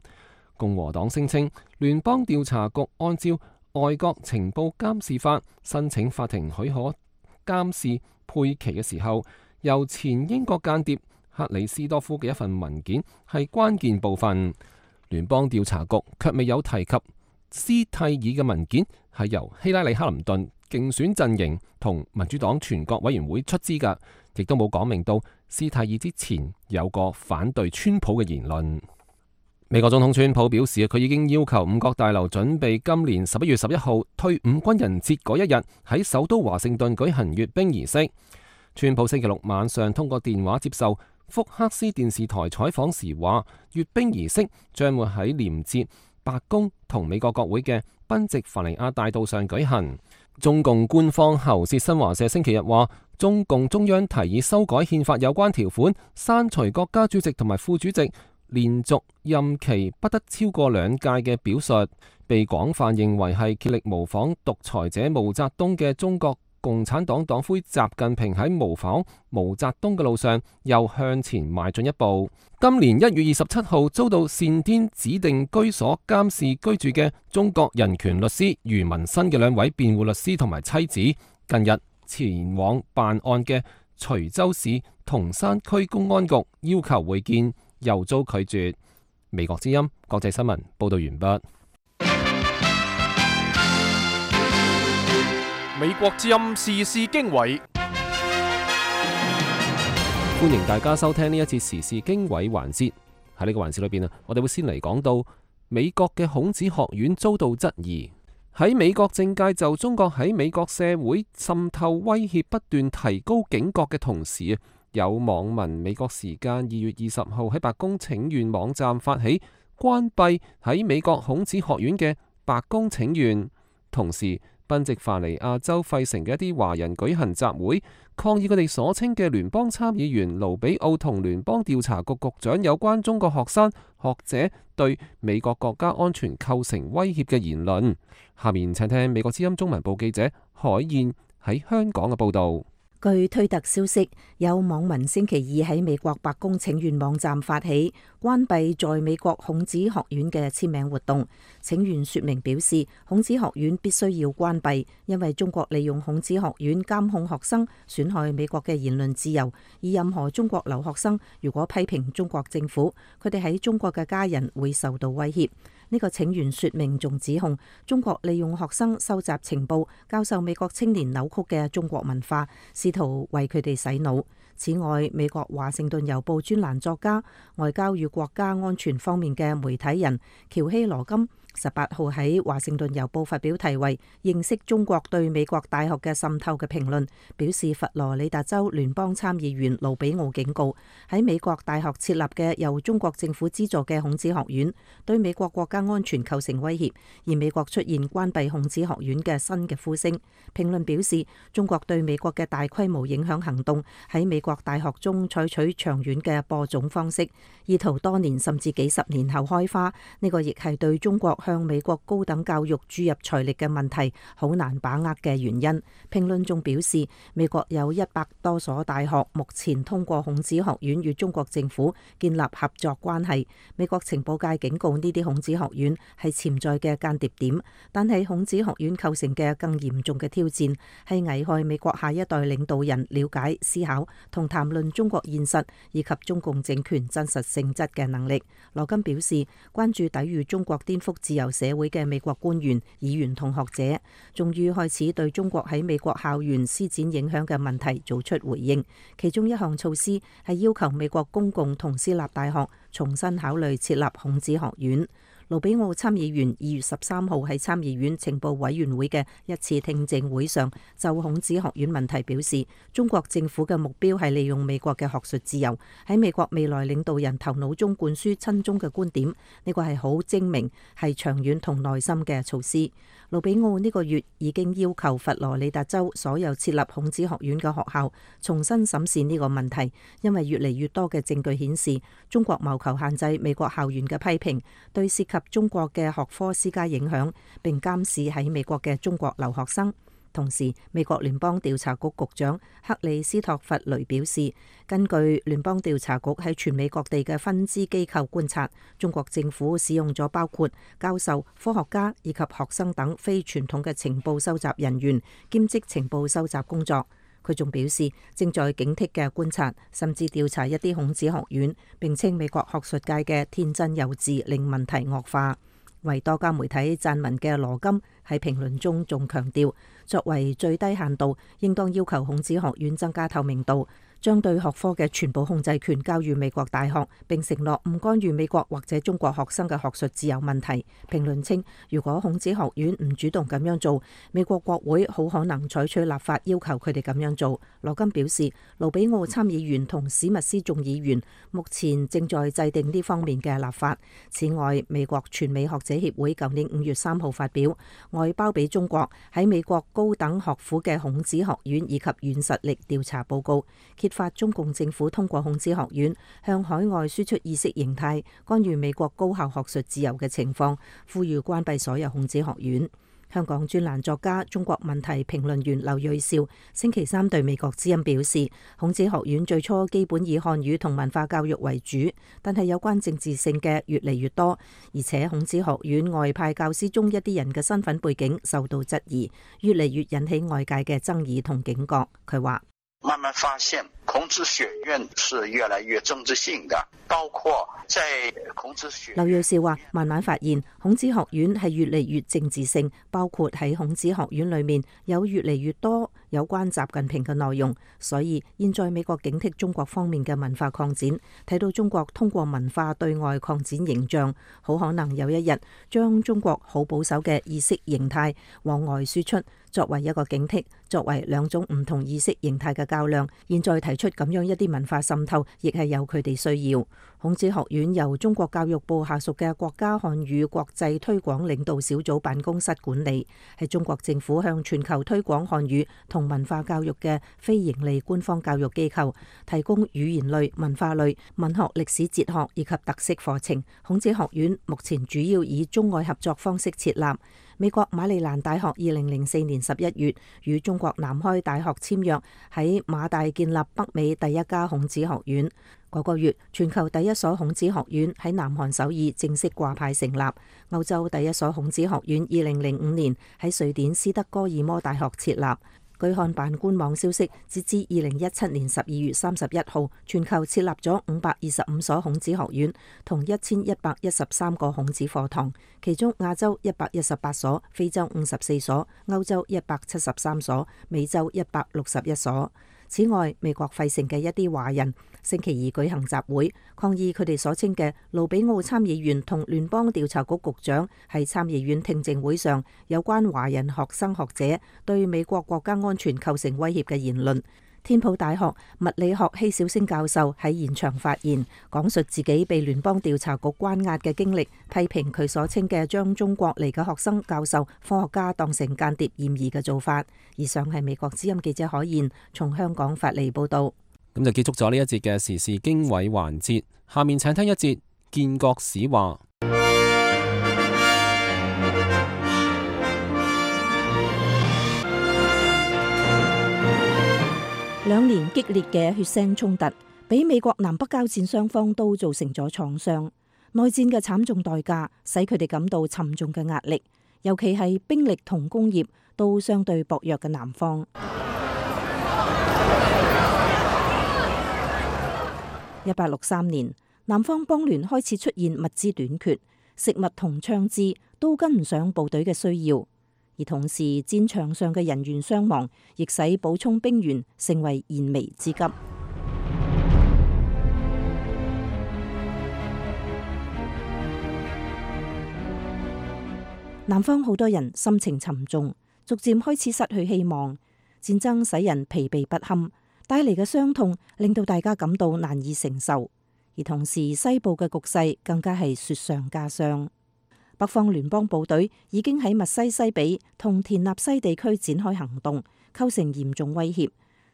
共和黨聲稱聯邦調查局按照外國情報監視法申請法庭許可監視佩奇嘅時候，由前英國間諜克里斯多夫嘅一份文件係關鍵部分。聯邦調查局卻未有提及斯蒂爾嘅文件係由希拉里克林頓競選陣營同民主黨全國委員會出資㗎，亦都冇講明到斯蒂爾之前有個反對川普嘅言論。美國總統川普表示，佢已經要求五角大樓準備今年十一月十一號退伍軍人節嗰一日喺首都華盛頓舉行閱兵儀式。川普星期六晚上通過電話接受福克斯電視台採訪時話，閱兵儀式將會喺連接白宮同美國國會嘅賓夕凡尼亞大道上舉行。中共官方喉舌新華社星期日話，中共中央提議修改憲法有關條款，刪除國家主席同埋副主席連續任期不得超過兩屆嘅表述，被廣泛認為係竭力模仿獨裁者毛澤東嘅中國共產黨黨魁習近平喺模仿毛澤東嘅路上又向前邁進一步。今年一月二十七號遭到單天指定居所監視居住嘅中國人權律師余文新嘅兩位辯護律師同埋妻子，近日前往辦案嘅徐州市銅山區公安局要求會見，又遭拒絕。美國之音國際新聞報道完畢。美國之音時事經緯，歡迎大家收聽呢一次時事經緯環節。喺呢個環節裏邊啊，我哋會先嚟講到美國嘅孔子學院遭到質疑。喺美國政界就中國喺美國社會滲透威脅不斷提高警覺嘅同時啊，有網民美國時間二月二十號喺白宮請願網站發起關閉喺美國孔子學院嘅白宮請願，同時賓夕法尼亞州費城嘅一啲華人舉行集會，抗議佢哋所稱嘅聯邦參議員盧比奧同聯邦調查局局長有關中國學生學者對美國國家安全構成威脅嘅言論。下面請聽美國之音中文部記者海燕喺香港嘅報道。據推特消息，有網民星期二喺美國白宮請願網站發起關閉在美國孔子學院嘅簽名活動。請願說明表示，孔子學院必須要關閉，因為中國利用孔子學院監控學生，損害美國嘅言論自由。而任何中國留學生如果批評中國政府，佢哋喺中國嘅家人會受到威脅。呢個請願說明仲指控中國利用學生收集情報，教授美國青年扭曲嘅中國文化，試圖為佢哋洗腦。此外，美國華盛頓郵報專欄作家、外交與國家安全方面嘅媒體人喬希羅金十八號喺華盛頓郵報發表題為《認識中國對美國大學嘅滲透》嘅評論，表示佛羅里達州聯邦參議員盧比奧警告，喺美國大學設立嘅由中國政府資助嘅孔子學院對美國國家安全構成威脅，而美國出現關閉孔子學院嘅新嘅呼聲。評論表示，中國對美國嘅大規模影響行動喺美國大學中採取長遠嘅播種方式，意圖多年甚至幾十年後開花。呢個亦係對中國向美國高等教育注入財力嘅問題好難把握嘅原因。評論仲表示，美國有一百多所大學目前通過孔子學院與中國政府建立合作關係。美國情報界警告呢啲孔子學院係潛在嘅間諜點，但係孔子學院構成嘅更嚴重嘅挑戰係危害美國下一代領導人了解、思考同談論中國現實以及中共政權真實性質嘅能力。羅金表示，關注抵禦中國顛覆自由社會嘅美國官員、議員同學者，終於開始對中國喺美國校園施展影響嘅問題做出回應。其中一項措施係要求美國公共同私立大學重新考慮設立孔子學院。盧比奧參議員二月十三號喺參議院情報委員會嘅一次聽證會上，就孔子學院問題表示，中國政府嘅目標係利用美國嘅學術自由喺美國未來領導人頭腦中灌輸親中嘅觀點。呢個係好精明、係長遠同耐心嘅措施。盧比奧呢個月已經要求佛羅里達州所有設立孔子學院嘅學校重新審視呢個問題，因為越嚟越多嘅證據顯示，中國謀求限制美國校園嘅批評，對涉及中國嘅學科施加影響，並監視喺美國嘅中國留學生。同時，美國聯邦調查局局長克里斯托弗雷表示，根據聯邦調查局喺全美各地嘅分支機構觀察，中國政府使用咗包括教授、科學家以及學生等非傳統嘅情報收集人員，兼職情報收集工作。佢仲表示，正在警惕嘅觀察，甚至調查一啲孔子學院，並稱美國學術界嘅天真幼稚令問題惡化。為多家媒體撰文嘅羅金喺評論中仲強調，作為最低限度，應當要求孔子學院增加透明度，將對學科嘅全部控制權交予美國大學，並承諾唔干預美國或者中國學生嘅學術自由問題。評論稱，如果孔子學院唔主動咁樣做，美國國會好可能採取立法要求佢哋咁樣做。羅金表示，盧比奧參議員同史密斯眾議員目前正在制定呢方面嘅立法。此外，美國全美學者協會舊年五月三號發表外包俾中國喺美國高等學府嘅孔子學院以及軟實力調查報告，揭發中共政府通過孔子學院向海外輸出意識形態，干預美國高校學術自由嘅情況，呼籲關閉所有孔子學院。香港專欄作家、中國問題評論員劉銳紹星期三對美國之音表示，孔子學院最初基本以漢語同文化教育為主，但係有關政治性嘅越嚟越多，而且孔子學院外派教師中一啲人嘅身份背景受到質疑，越嚟越引起外界嘅爭議同警覺。佢話：慢慢發現孔子學院是越來越政治性的，包括在孔子學院。劉銳紹話：慢慢發現孔子學院係越嚟越政治性，包括喺孔子學院裏面有越嚟越多有關習近平嘅內容，所以現在美國警惕中國方面嘅文化擴展，睇到中國通過文化對外擴展形象，好可能有一日將中國好保守嘅意識形態往外輸出，作為一個警惕，作為兩種唔同意識形態嘅較量。現在提出咁樣一啲文化滲透，亦係有佢哋需要。孔子學院由中國教育部下屬嘅國家漢語國際推廣領導小組辦公室管理，係中國政府向全球推廣漢語同文化教育嘅非營利官方教育機構，提供語言類、文化類、文學、歷史、哲學以及特色課程。孔子學院目前主要以中外合作方式設立。美國馬里蘭大學二零零四年十一月與中國南開大學簽約，喺馬大建立北美第一家孔子學院。嗰個月，全球第一所孔子學院喺南韓首爾正式掛牌成立。歐洲第一所孔子學院二零零五年喺瑞典斯德哥爾摩大學設立。據看辦官網消息，截至二零一七年十二月三十一號，全球設立咗五百二十五所孔子學院，同一千一百一十三個孔子課堂，其中亞洲一百一十八所，非洲五十四所，歐洲一百七十三所，美洲一百六十一所。此外，美國費城嘅一啲華人星期二舉行集會，抗議佢哋所稱嘅盧比奧參議員同聯邦調查局局長喺參議院聽證會上有關華人學生學者對美國國家安全構成威脅嘅言論。天普大學物理學希小星教授喺現場發言，講述自己被聯邦調查局關押嘅經歷，批評佢所稱嘅將中國嚟嘅學生、教授、科學家當成間諜嫌疑嘅做法。以上係美國之音記者可言從香港發嚟報道。咁就結束咗呢一節嘅時事經緯環節，下面請聽一節建國史話。兩年激烈嘅血腥衝突，俾美國南北交戰雙方都造成咗創傷。內戰嘅慘重代價，使佢哋感到沉重嘅壓力，尤其係兵力同工業都相對薄弱嘅南方。一八六三年，南方邦聯開始出現物資短缺，食物同槍支都跟唔上部隊嘅需要。而同時，戰場上嘅人員傷亡，亦使補充兵員成為燃眉之急。南方好多人心情沉重，逐漸開始失去希望。戰爭使人疲憊不堪，帶嚟嘅傷痛令到大家感到難以承受。而同時，西部嘅局勢更加係雪上加霜。北方聯邦部隊已經喺密西西比同田納西地區展開行動，構成嚴重威脅。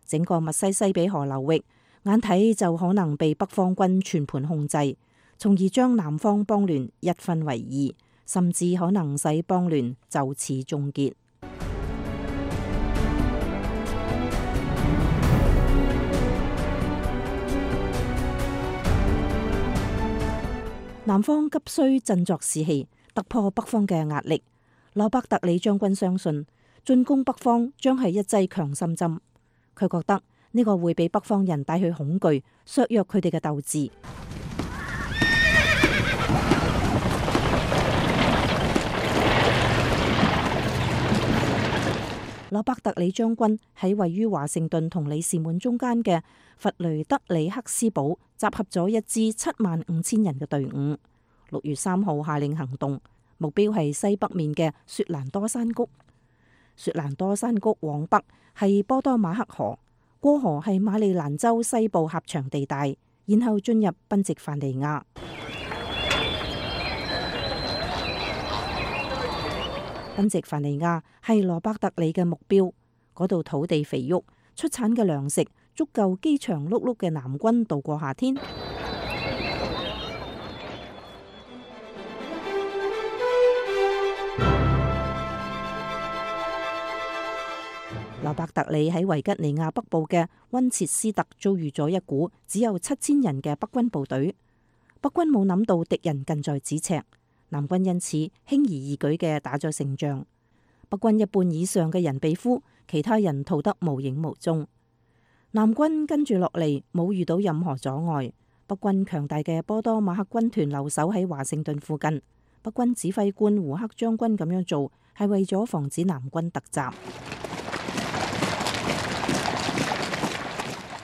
整個密西西比河流域眼睇就可能被北方軍全盤控制，從而將南方邦聯一分為二，甚至可能使邦聯就此終結。南方急需振作士氣，突破北方嘅壓力。羅伯特里將軍相信進攻北方將係一劑強心針，佢覺得呢個會俾北方人帶去恐懼，削弱佢哋嘅鬥志。羅伯特里將軍喺位於華盛頓同里士滿中間嘅弗雷德里克斯堡集合咗一支七萬五千人嘅隊伍。六月三號下令行動，目標係西北面嘅雪蘭多山谷。雪蘭多山谷往北係波多馬克河，過河係馬里蘭州西部狹長地帶，然後進入賓夕凡尼亞。賓夕凡尼亞係羅伯特里嘅目標，嗰度土地肥沃，出產嘅糧食足夠飢腸轆轆嘅南軍度過夏天。羅伯特里喺維吉尼亞北部嘅溫切斯特遭遇咗一股只有七千人嘅北軍部隊，北軍冇諗到敵人近在咫尺，南軍因此輕而易舉嘅打咗勝仗。北軍一半以上嘅人被俘，其他人逃得無影無蹤。南軍跟住落嚟冇遇到任何阻礙，北軍強大嘅波多馬克軍團留守喺華盛頓附近。北軍指揮官胡克將軍咁樣做係為咗防止南軍突襲。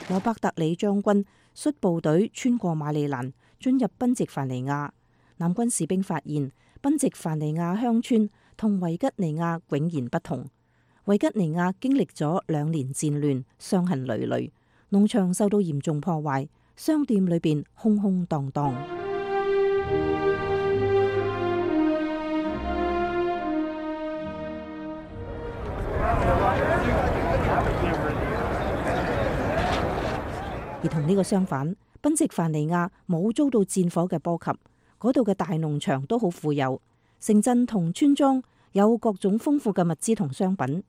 羅伯特里將軍率部隊穿過馬里蘭，進入賓夕凡尼亞。南軍士兵發現賓夕凡尼亞鄉村同維吉尼亞迥然不同。維吉尼亞經歷咗兩年戰亂，傷痕累累，農場受到嚴重破壞，商店裏邊空空蕩蕩。而同呢個相反，賓夕凡尼亞冇遭到戰火嘅波及，嗰度嘅大農場都好富有，城鎮同村莊有各種豐富嘅物資同商品。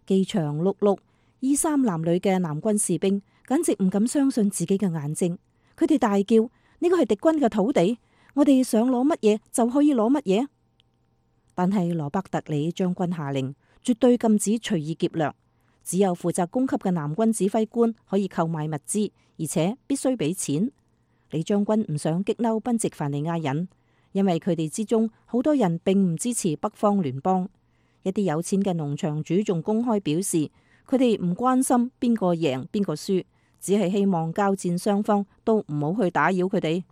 饑腸轆轆、衣衫襤褸嘅南軍士兵簡直唔敢相信自己嘅眼睛，佢哋大叫：呢個係敵軍嘅土地，我哋想攞乜嘢就可以攞乜嘢。但係羅伯特里將軍下令，絕對禁止隨意劫掠。只有負責供給嘅南軍指揮官可以購買物資，而且必須俾錢。李將軍唔想激嬲賓夕凡尼亞人，因為佢哋之中好多人並唔支持北方聯邦。一啲有錢嘅農場主仲公開表示，佢哋唔關心邊個贏邊個輸，只係希望交戰雙方都唔好去打擾佢哋。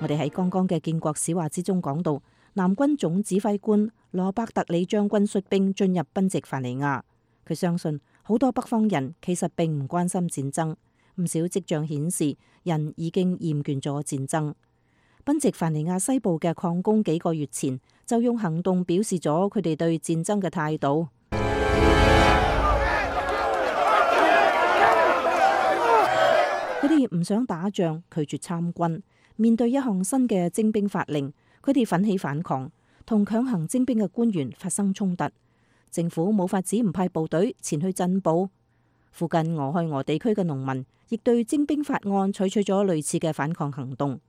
我哋喺剛剛嘅建國史話之中講到，南軍總指揮官羅伯特里將軍率兵進入賓夕凡尼亞。佢相信好多北方人其實並唔關心戰爭，唔少跡象顯示人已經厭倦咗戰爭。賓夕凡尼亞西部嘅礦工幾個月前就用行動表示咗佢哋對戰爭嘅態度。佢哋唔想打仗，拒絕參軍。面對一項新嘅徵兵法令，佢哋奮起反抗，同強行徵兵嘅官員發生衝突。政府冇法子唔派部隊前去鎮暴。附近俄亥俄地區嘅農民亦對徵兵法案採取咗類似嘅反抗行動。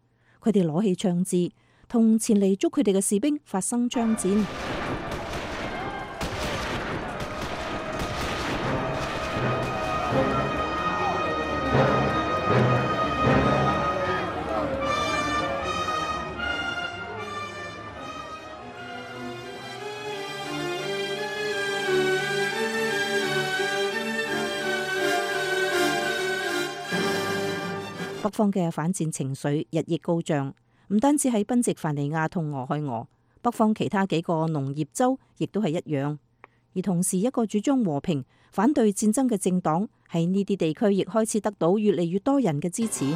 佢哋攞起槍支，同前嚟捉佢哋嘅士兵發生槍戰。北方嘅反戰情緒日益高漲，唔單止喺賓夕凡尼亞同俄亥俄，北方其他幾個農業州亦都係一樣。而同時，一個主張和平、反對戰爭嘅政黨喺呢啲地區亦開始得到越嚟越多人嘅支持。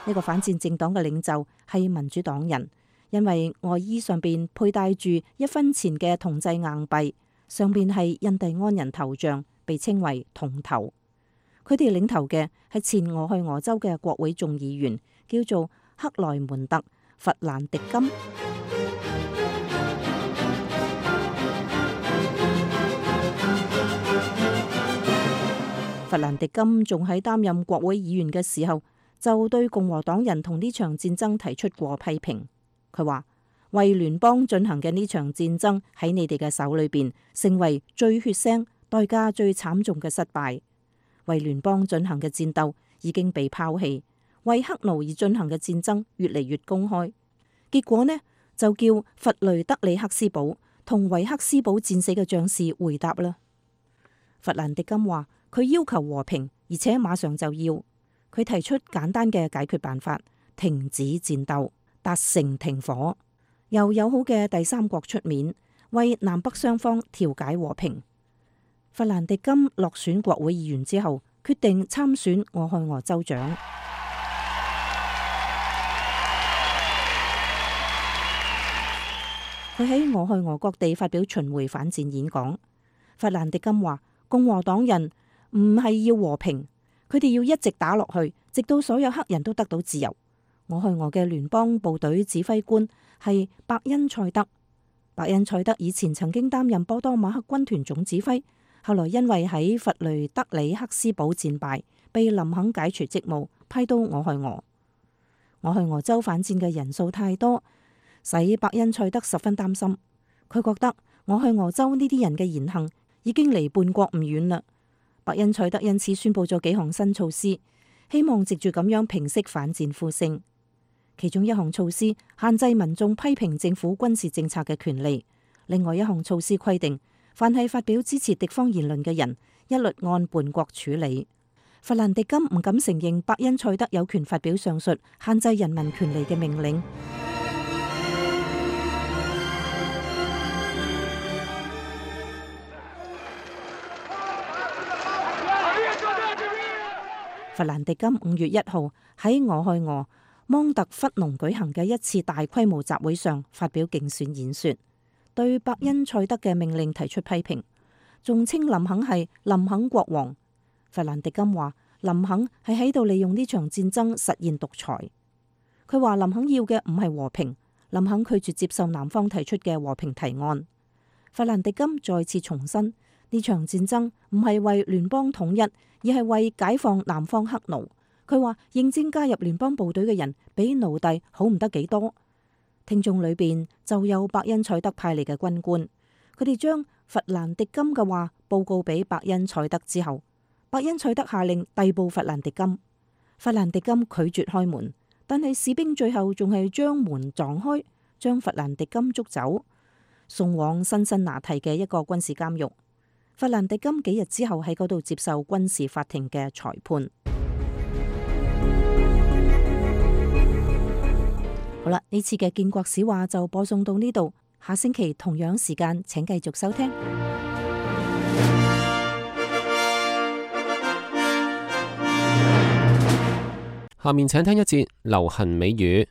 呢個反戰政黨嘅領袖係民主黨人，因為外衣上邊佩戴住一分錢嘅銅製硬幣。上邊係印第安人頭像，被稱為銅頭。佢哋領頭嘅係前俄亥俄州嘅國會眾議員，叫做克萊門特·弗蘭迪金。弗蘭迪金仲喺擔任國會議員嘅時候，就對共和黨人同呢場戰爭提出過批評。佢話：為聯邦進行嘅呢場戰爭喺你哋嘅手裏邊，成為最血腥、代價最慘重嘅失敗。為聯邦進行嘅戰鬥已經被拋棄，為黑奴而進行嘅戰爭越嚟越公開。結果呢，就叫弗雷德里克斯堡同維克斯堡戰死嘅將士回答啦。弗蘭迪金話：佢要求和平，而且馬上就要。佢提出簡單嘅解決辦法：停止戰鬥，達成停火。由友好嘅第三國出面，為南北雙方調解和平。弗蘭迪金落選國會議員之後，決定參選俄亥俄州長。佢喺俄亥俄各地發表巡迴反戰演講。弗蘭迪金話：共和黨人唔係要和平，佢哋要一直打落去，直到所有黑人都得到自由。俄亥俄嘅聯邦部隊指揮官係伯恩賽德。伯恩賽德以前曾經擔任波多馬克軍團總指揮，後來因為喺弗雷德里克斯堡戰敗，被林肯解除職務，批到俄亥俄。俄亥俄州反戰嘅人數太多，使伯恩賽德十分擔心。佢覺得俄亥俄州呢啲人嘅言行已經離叛國唔遠啦。伯恩賽德因此宣布咗幾項新措施，希望藉住咁樣平息反戰呼聲。其中一項措施限制民眾批評政府軍事政策嘅權利，另外一項措施規定，凡係發表支持敵方言論嘅人，一律按叛國處理。弗蘭迪金唔敢承認伯恩賽德有權發表上述限制人民權利嘅命令。弗蘭迪金五月一號喺俄亥俄芒特弗農舉行嘅一次大規模集會上發表競選演說，對伯恩賽德嘅命令提出批評，仲稱林肯係林肯國王。弗蘭迪金話林肯係喺度利用呢場戰爭實現獨裁。佢話林肯要嘅唔係和平，林肯拒絕接受南方提出嘅和平提案。弗蘭迪金再次重申，呢場戰爭唔係為聯邦統一，而係為解放南方黑奴。佢話應徵加入聯邦部隊嘅人比奴隸好唔得幾多。聽眾裏邊就有伯恩賽德派嚟嘅軍官，佢哋將弗蘭迪金嘅話報告俾伯恩賽德之後，伯恩賽德下令逮捕弗蘭迪金。弗蘭迪金拒絕開門，但係士兵最後仲係將門撞開，將弗蘭迪金捉走，送往辛辛那提嘅一個軍事監獄。弗蘭迪金幾日之後喺嗰度接受軍事法庭嘅裁判。好啦，呢次嘅建國史話就播送到呢度，下星期同樣時間請繼續收聽。下面請聽一節流行美語。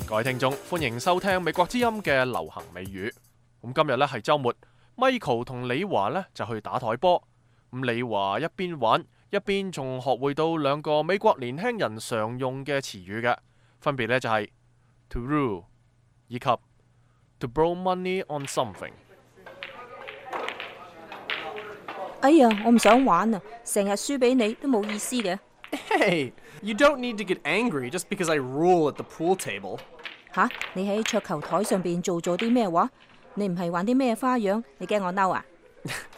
各位聽眾，歡迎收聽美國之音嘅流行美語。咁今日呢係週末 ，Michael 同李華呢就去打台波。咁李華一邊玩，一邊仲學會到兩個美國年輕人常用嘅詞語嘅，分別呢就係 to rule 以及 to borrow money on something。哎呀，我唔想玩啊，成日輸俾你都冇意思嘅。Hey, you don't need to get angry just because I rule at the pool table. 吓，你喺桌球台上邊做咗啲咩話？你唔係玩啲咩花樣？你驚我嬲啊？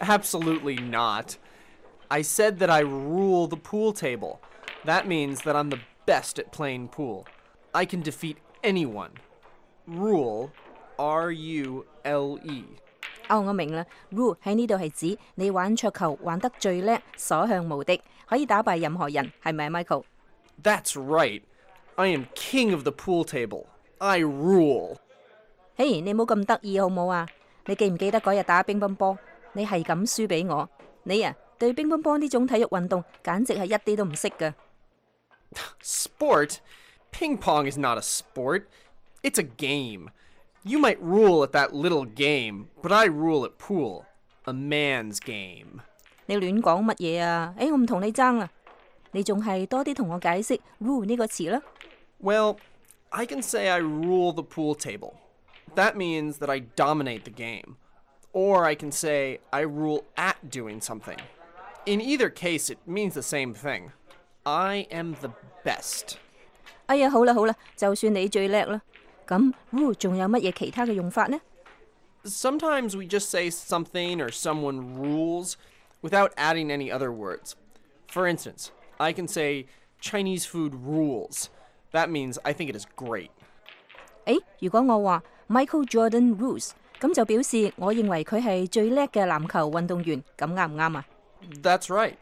Absolutely not. I said that I rule the pool table. That means that I'm the best at playing pool. I can defeat anyone. Rule, R U L E. 哦，我明啦。Rule 喺呢度係指你玩桌球玩得最叻，所向無敵，可以打敗任何人，係咪 Michael？ That's right. I am king of the pool table. I rule. 嘿，hey, 你冇咁得意好冇啊？你記唔記得嗰日打乒乓波，你係咁輸俾我？你啊，對乒乓波呢種體育運動簡直係一啲都唔識㗎。Sport? Ping pong is not a sport. It's a game. You might rule at that little game, but I rule at pool. A man's game. 你亂講乜嘢啊？誒，我唔同你爭啦，你仲係多啲同我解釋 rule 呢個詞啦。Well, I can say I rule the pool table. That means that I dominate the game. Or I can say I rule at doing something. In either case, it means the same thing. I am the best. 哎呀，好啦好啦，就算你最叻啦，咁 rule 仲有乜嘢其他嘅用法呢？ Sometimes we just say something or someone rules without adding any other words. For instance, I can say Chinese food rules. That means I think it is great. 誒，如果我話 Michael Jordan rules， 咁就表示我認為佢係最叻嘅籃球運動員，咁啱唔啱啊？ That's right.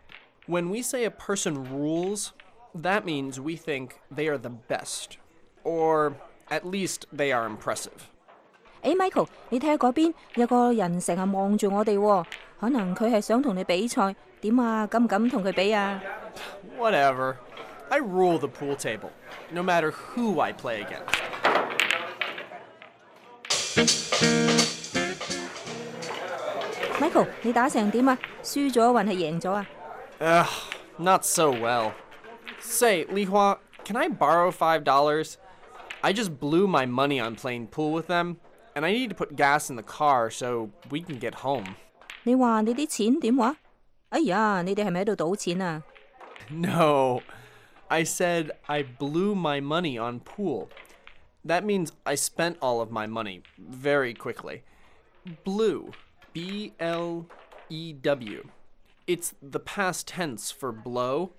When we say a person rules, that means we think they are the best. Or at least they are impressive. 誒，Michael，你睇下嗰邊有個人成日望住我哋喎，可能佢係想同你比賽，點啊？敢唔敢同佢比啊？ Whatever. I rule the pool table, no matter who I play against. Michael，你打成點啊？輸咗還係贏咗啊？ Ugh, not so well. Say, Li Hua, can I borrow five dollars? I just blew my money on playing pool with them, and I need to put gas in the car so we can get home. 你話你啲錢點話？哎呀，你哋係咪喺度賭錢啊？ No, I said I blew my money on pool. That means I spent all of my money very quickly. Blew, B L E W. It's the past tense for blow.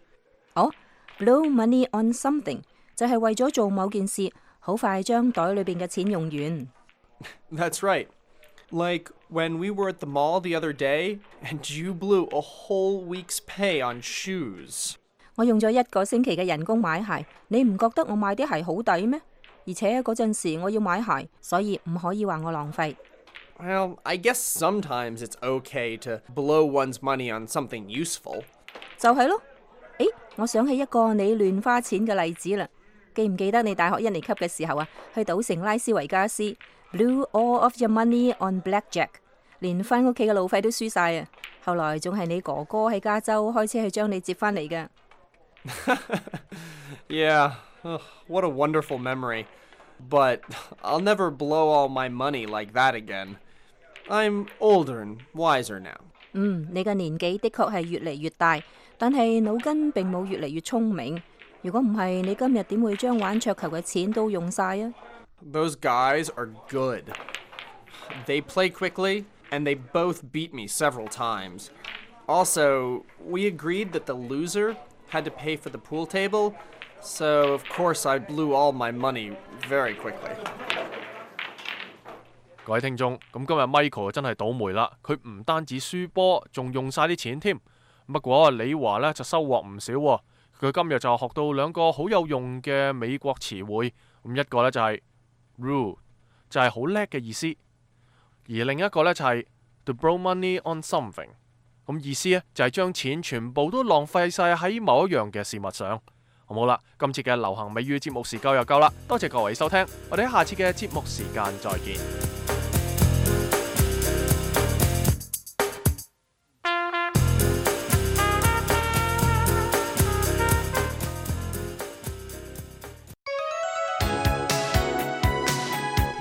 哦 ，blow money on something 就係為咗做某件事，好快將袋裏邊嘅錢用完。 That's right. Like when we were at the mall the other day and you blew a whole week's pay on shoes. 我用咗一個星期嘅人工買鞋，你唔覺得我買啲鞋好抵咩？而且嗰陣時我要買鞋，所以唔可以話我浪費。 Well, I guess sometimes it's okay to blow one's money on something useful. 就係咯。誒，我想起一個你亂花錢嘅例子啦。記唔記得你大學一年級嘅時候啊，去賭城拉斯維加斯 ，blew all of your money on blackjack， 連翻屋企嘅路費都輸晒啊！後來仲係你哥哥喺加州開車去將你接翻嚟嘅。 Yeah, ugh, what a wonderful memory. But I'll never blow all my money like that again. I'm older and wiser now. 嗯，你嘅年紀的確係越嚟越大，但係腦筋並冇越嚟越聰明。如果唔係，你今日點會將玩桌球嘅錢都用晒啊？ Those guys are good. They play quickly, and they both beat me several times. Also, we agreed that the loser had to pay for the pool table, so of course I blew all my money very quickly. 各位聽眾，咁今日 Michael 真係倒霉啦，佢唔單止輸波，仲用晒啲錢添。不過李華呢就收穫唔少喎，佢今日就學到兩個好有用嘅美國詞彙，咁一個呢就係 rule， 就係好叻嘅意思，而另一個呢就係 to blow money on something， 咁意思呢就係將錢全部都浪費晒喺某一樣嘅事物上。好冇啦，今次嘅流行美語節目時間又夠啦，多謝各位收聽，我哋喺下次嘅節目時間再見。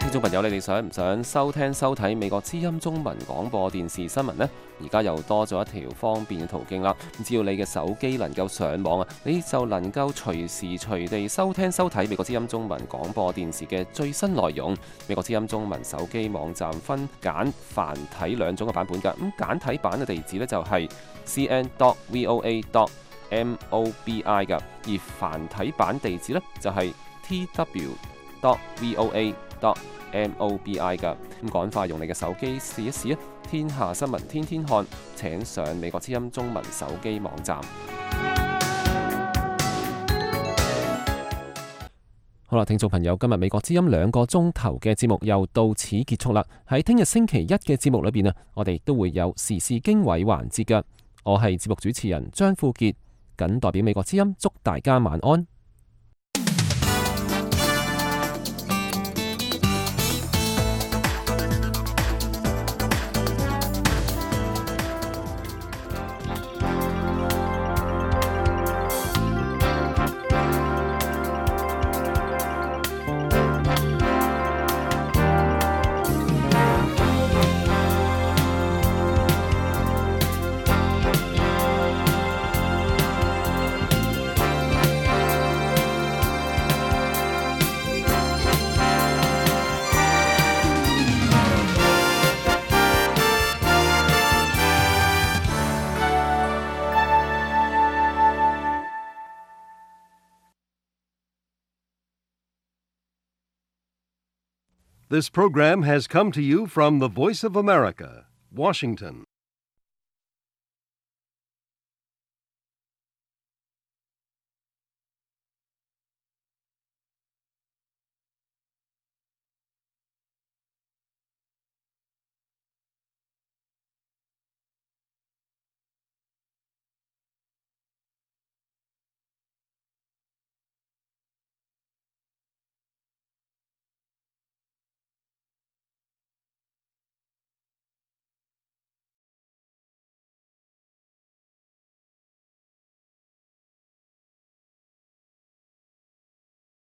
聽眾朋友，你哋想唔想收聽收睇美國之音中文廣播電視新聞呢？而家又多咗一條方便嘅途徑啦！只要你嘅手機能夠上網啊，你就能夠隨時隨地收聽收睇美國之音中文廣播電視嘅最新內容。美國之音中文手機網站分簡繁體兩種嘅版本㗎。咁簡體版嘅地址呢，就係 c n dot v o a dot m o b i 㗎，而繁體版地址呢，就係 t w dot v o a dot m o b i 㗎。咁趕快用你嘅手機試一試啊！天下新聞天天看，請上美國之音中文手機網站。好啦，聽眾朋友，今日美國之音兩個鐘頭嘅節目又到此結束啦。喺聽日星期一嘅節目裏邊啊，我哋都會有時事經緯環節㗎。我係節目主持人張富傑，謹代表美國之音祝大家晚安。This program has come to you from the Voice of America, Washington.